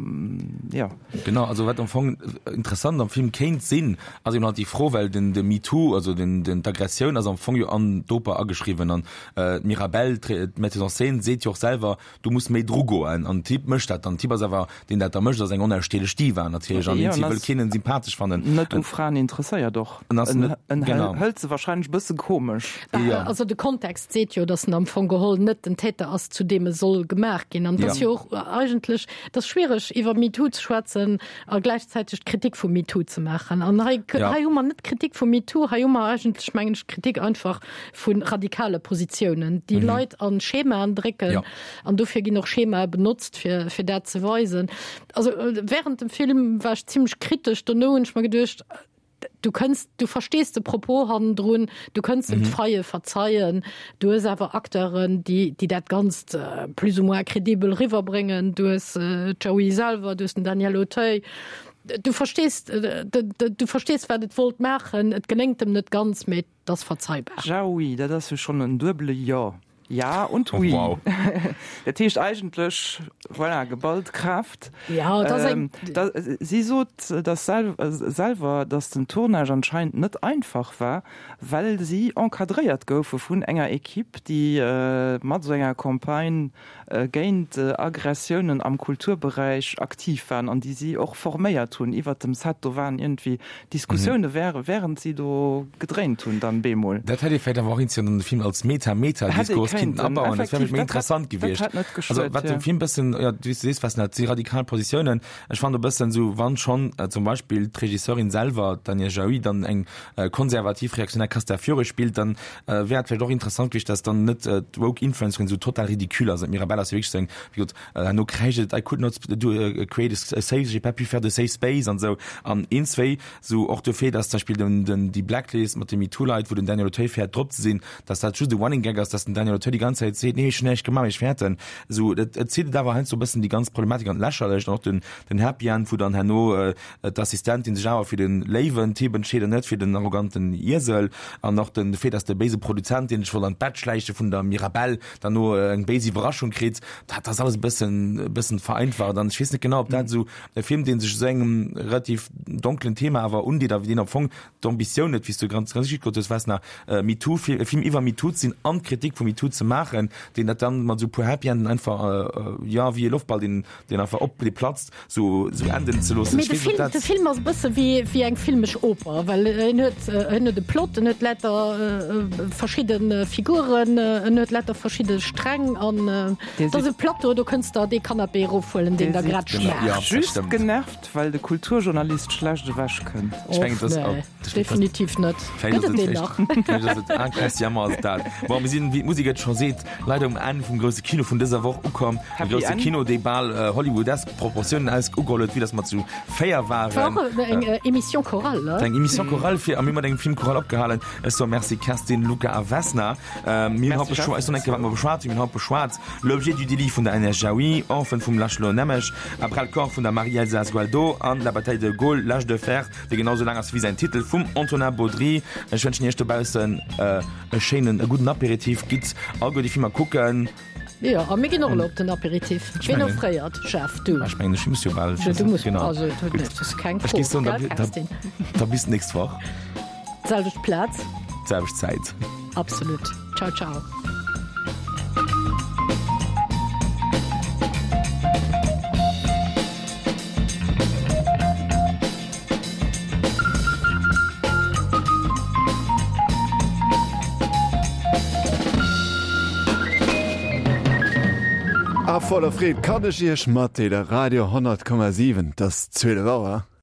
jo. Genau, also wat am Fong interessant am Film kéint sinn, ass eben halt déi Fro, well den de MeToo, also den den d'Aggressioun ass am Fong jo an d'Oper ageschriwwen an d'Mirabelle, d'Metteuse en scène, seet jo och selwer, Du muss méi dru goen. An den Typ mécht dat dann. Den Typ ass awer, deen dat da mécht, ass eng onausstehlech Diva natierlech. An deen Typ wëll keen en sympathesch fannen. Net u Fraen interesséiert och. En ass net, En genau. hëlt se wahrscheinlech e bësse komesch. Jo. Also de Kontext seet jo, datt en am Fong geholl net den Täter ass, zu deem e soll gemaach ginn. An et ass jo och eigentlech, et ass schwiereg iwwer MeToo ze schwätzen a gläichzäiteg d'Kritik vum MeToo ze maachen. An hei, hei hu mer net d'Kritik vum MeToo, hei hu mer eigentlech, mengen ech, d'Kritik einfach vu radikale Positiounen, déi Leit an Schemaen drécken. An dofir ginn och Schemae benotzt, fir, fir dat ze weisen. Also während dem Film war ech zimmlech kritesch. Dono hunn ech mer geduecht, du kënns, du verstees de Propos hannendrun, du kënns dem d'Faille verzeien. Du hues awer Acteuren, déi, déi dat Ganzt plus ou moins credibel riwwerbréngen. Du hues d'Jaoui selwer, du hues den Daniel Auteuil. Du verstees, du verstees, wat et wollt maachen. Et geléngt em net ganz, mee. 't ass verzeibar. Jaoui, dat ass jo schonn en duebele Jo. Ja und oui. Oh, wow. Dat heescht eigentlech, voilà, geballt Kraaft. Ja, dat ass eng. Da, si sot dass sel selwer, dass den Tournage anscheinend net einfach war, well si encadréiert goufe vun enger Equipe, déi mat esou enger Campagne géint Aggressiounen am Kulturberäich aktiv waren an déi si och forméiert hunn iwwert dem Set. Do waren iergendwéi Diskussioune wärend si do gedréint hunn dann bemol. Dat hätt ee vläicht awer och inzien an de Film als Meta-Meta-Diskurs kinnten abauen. Dat wär vläicht méi interessant gewiescht. Also wat de Film bëssen, jo, wéi s du sees, Vesna, et si radikal Positiounen. Ech fannen e bëssen esou, wann schonn zum Beispill d'Regisseurin selwer, d'Agnès Jaoui, dann eng konservativ reaktionär Castafiore spillt, dann wär et vläicht och interessant gewiescht, dass dann net d'woke Influencerin esou total ridicule ass. D'Mirabelle ass jo wierklech esou eng, wéi gesot, herno kräischt et, I could not do create a safe, j'ai pas pu faire de safe space an esou. An een, zwéi esou och dofir, dass zum Beispill den, den, déi Blacklist mat de MeToo-Leit, wou den Daniel Auteuil fäert drop ze sinn, dass dat just e Running Gag ass, dass den Daniel Auteuil déi ganz Zäit seet, nee, ech hunn näischt gemaach, mee ech fäerten. Esou, et, et zitt et awer heiansdo e bëssen déi ganz Problematik an d'Lächerlecht an och den, den Happy End, wou dann herno d'Assistentin sech awer fir de léiwen Typ entscheet an net fir den arroganten Iesel an och den Fait, dass de béise Produzent, deen sech wollt an d'Bett schläiche vun der Mirabelle, dann no eng béis Iwwerraschung kritt, dat ass alles e bëssen, e bëssen vereinfacht an ech weess net genau, ob dat esou e Film, dee sech esou engem relativ donklen Thema awer undeet a deen am Fong d'Ambitioun huet, wéi s du ganz richtig gesot hues, Vesna, MeToo, e Film iwwer MeToo ze sinn an d'Kritik vu MeToo ze maachen, deen dat dann mat esou e puer Happy Enden einfach, jo, wéi e Loftball, deen, deen einfach op, dee platzt, sou, sou enden ze loossen. Mee de Film, de Film ass e bësse wéi, wéi eng filmesch Oper, well en huet, en huet e Plot, en huet lauter verschidde Figuren, en huet lauter verschidde Sträng an et ass e Plateau, do kënns der dee Canapé erofhuelen, deen der grad schmaacht. Just genervt, well de Kulturjournalist schlecht ewech kënnt. Ech mengen, dass. Nee, definitiv net. Gëtt et deen nach? Vläicht ass et inconsciemment ass et dat. Bon, mir sinn, wéi d'Musek et scho seet, leider um Enn vum grousse Kino vun dëser Woch ukomm. E grousse Kino, dee bal hollywoodesk Proportiounen aus ugeholl huet, vue dass mer zu 4 waren. War och eng Émission chorale, ne? Eng Émission chorale fir, a mir hu mat engem Film choral opgehalen. Ech soe Merci Kerstin, Luca a Vesna. Mir hunn haut beschwat, ech soen eng Kéier, wat mer beschwat hunn. Mir hunn haut beschwat L'objet du délit vun der Agnès Jaoui, Orphan vum László Nemes, À bras-le-corps vun der Marie-Elsa Sgualdo an La bataille de Gaulle, L'âge de fer, dee genau sou laang ass wéi säin Titel, vum Antonin Baudry. Ech wënschen Iech dobaussen e schéinen, e gudden Apéritif. Gitt alleguer déi Filmer kucken. Jo, a mir ginn och elo op den Apéritif. Ween offréiert? Jeff, du? Ech mengen, ech muss jo bal. Jo, du muss. Genau. Also, dat ass keng Fro. Ech géif soen, da bis d'nächst Woch. D'selwecht Plaz. D'selwecht Zäit. Absolut. Ciao, ciao. A voller Freed kann ech Iech matdeele, Radio 100,7, 't ass 12 Auer.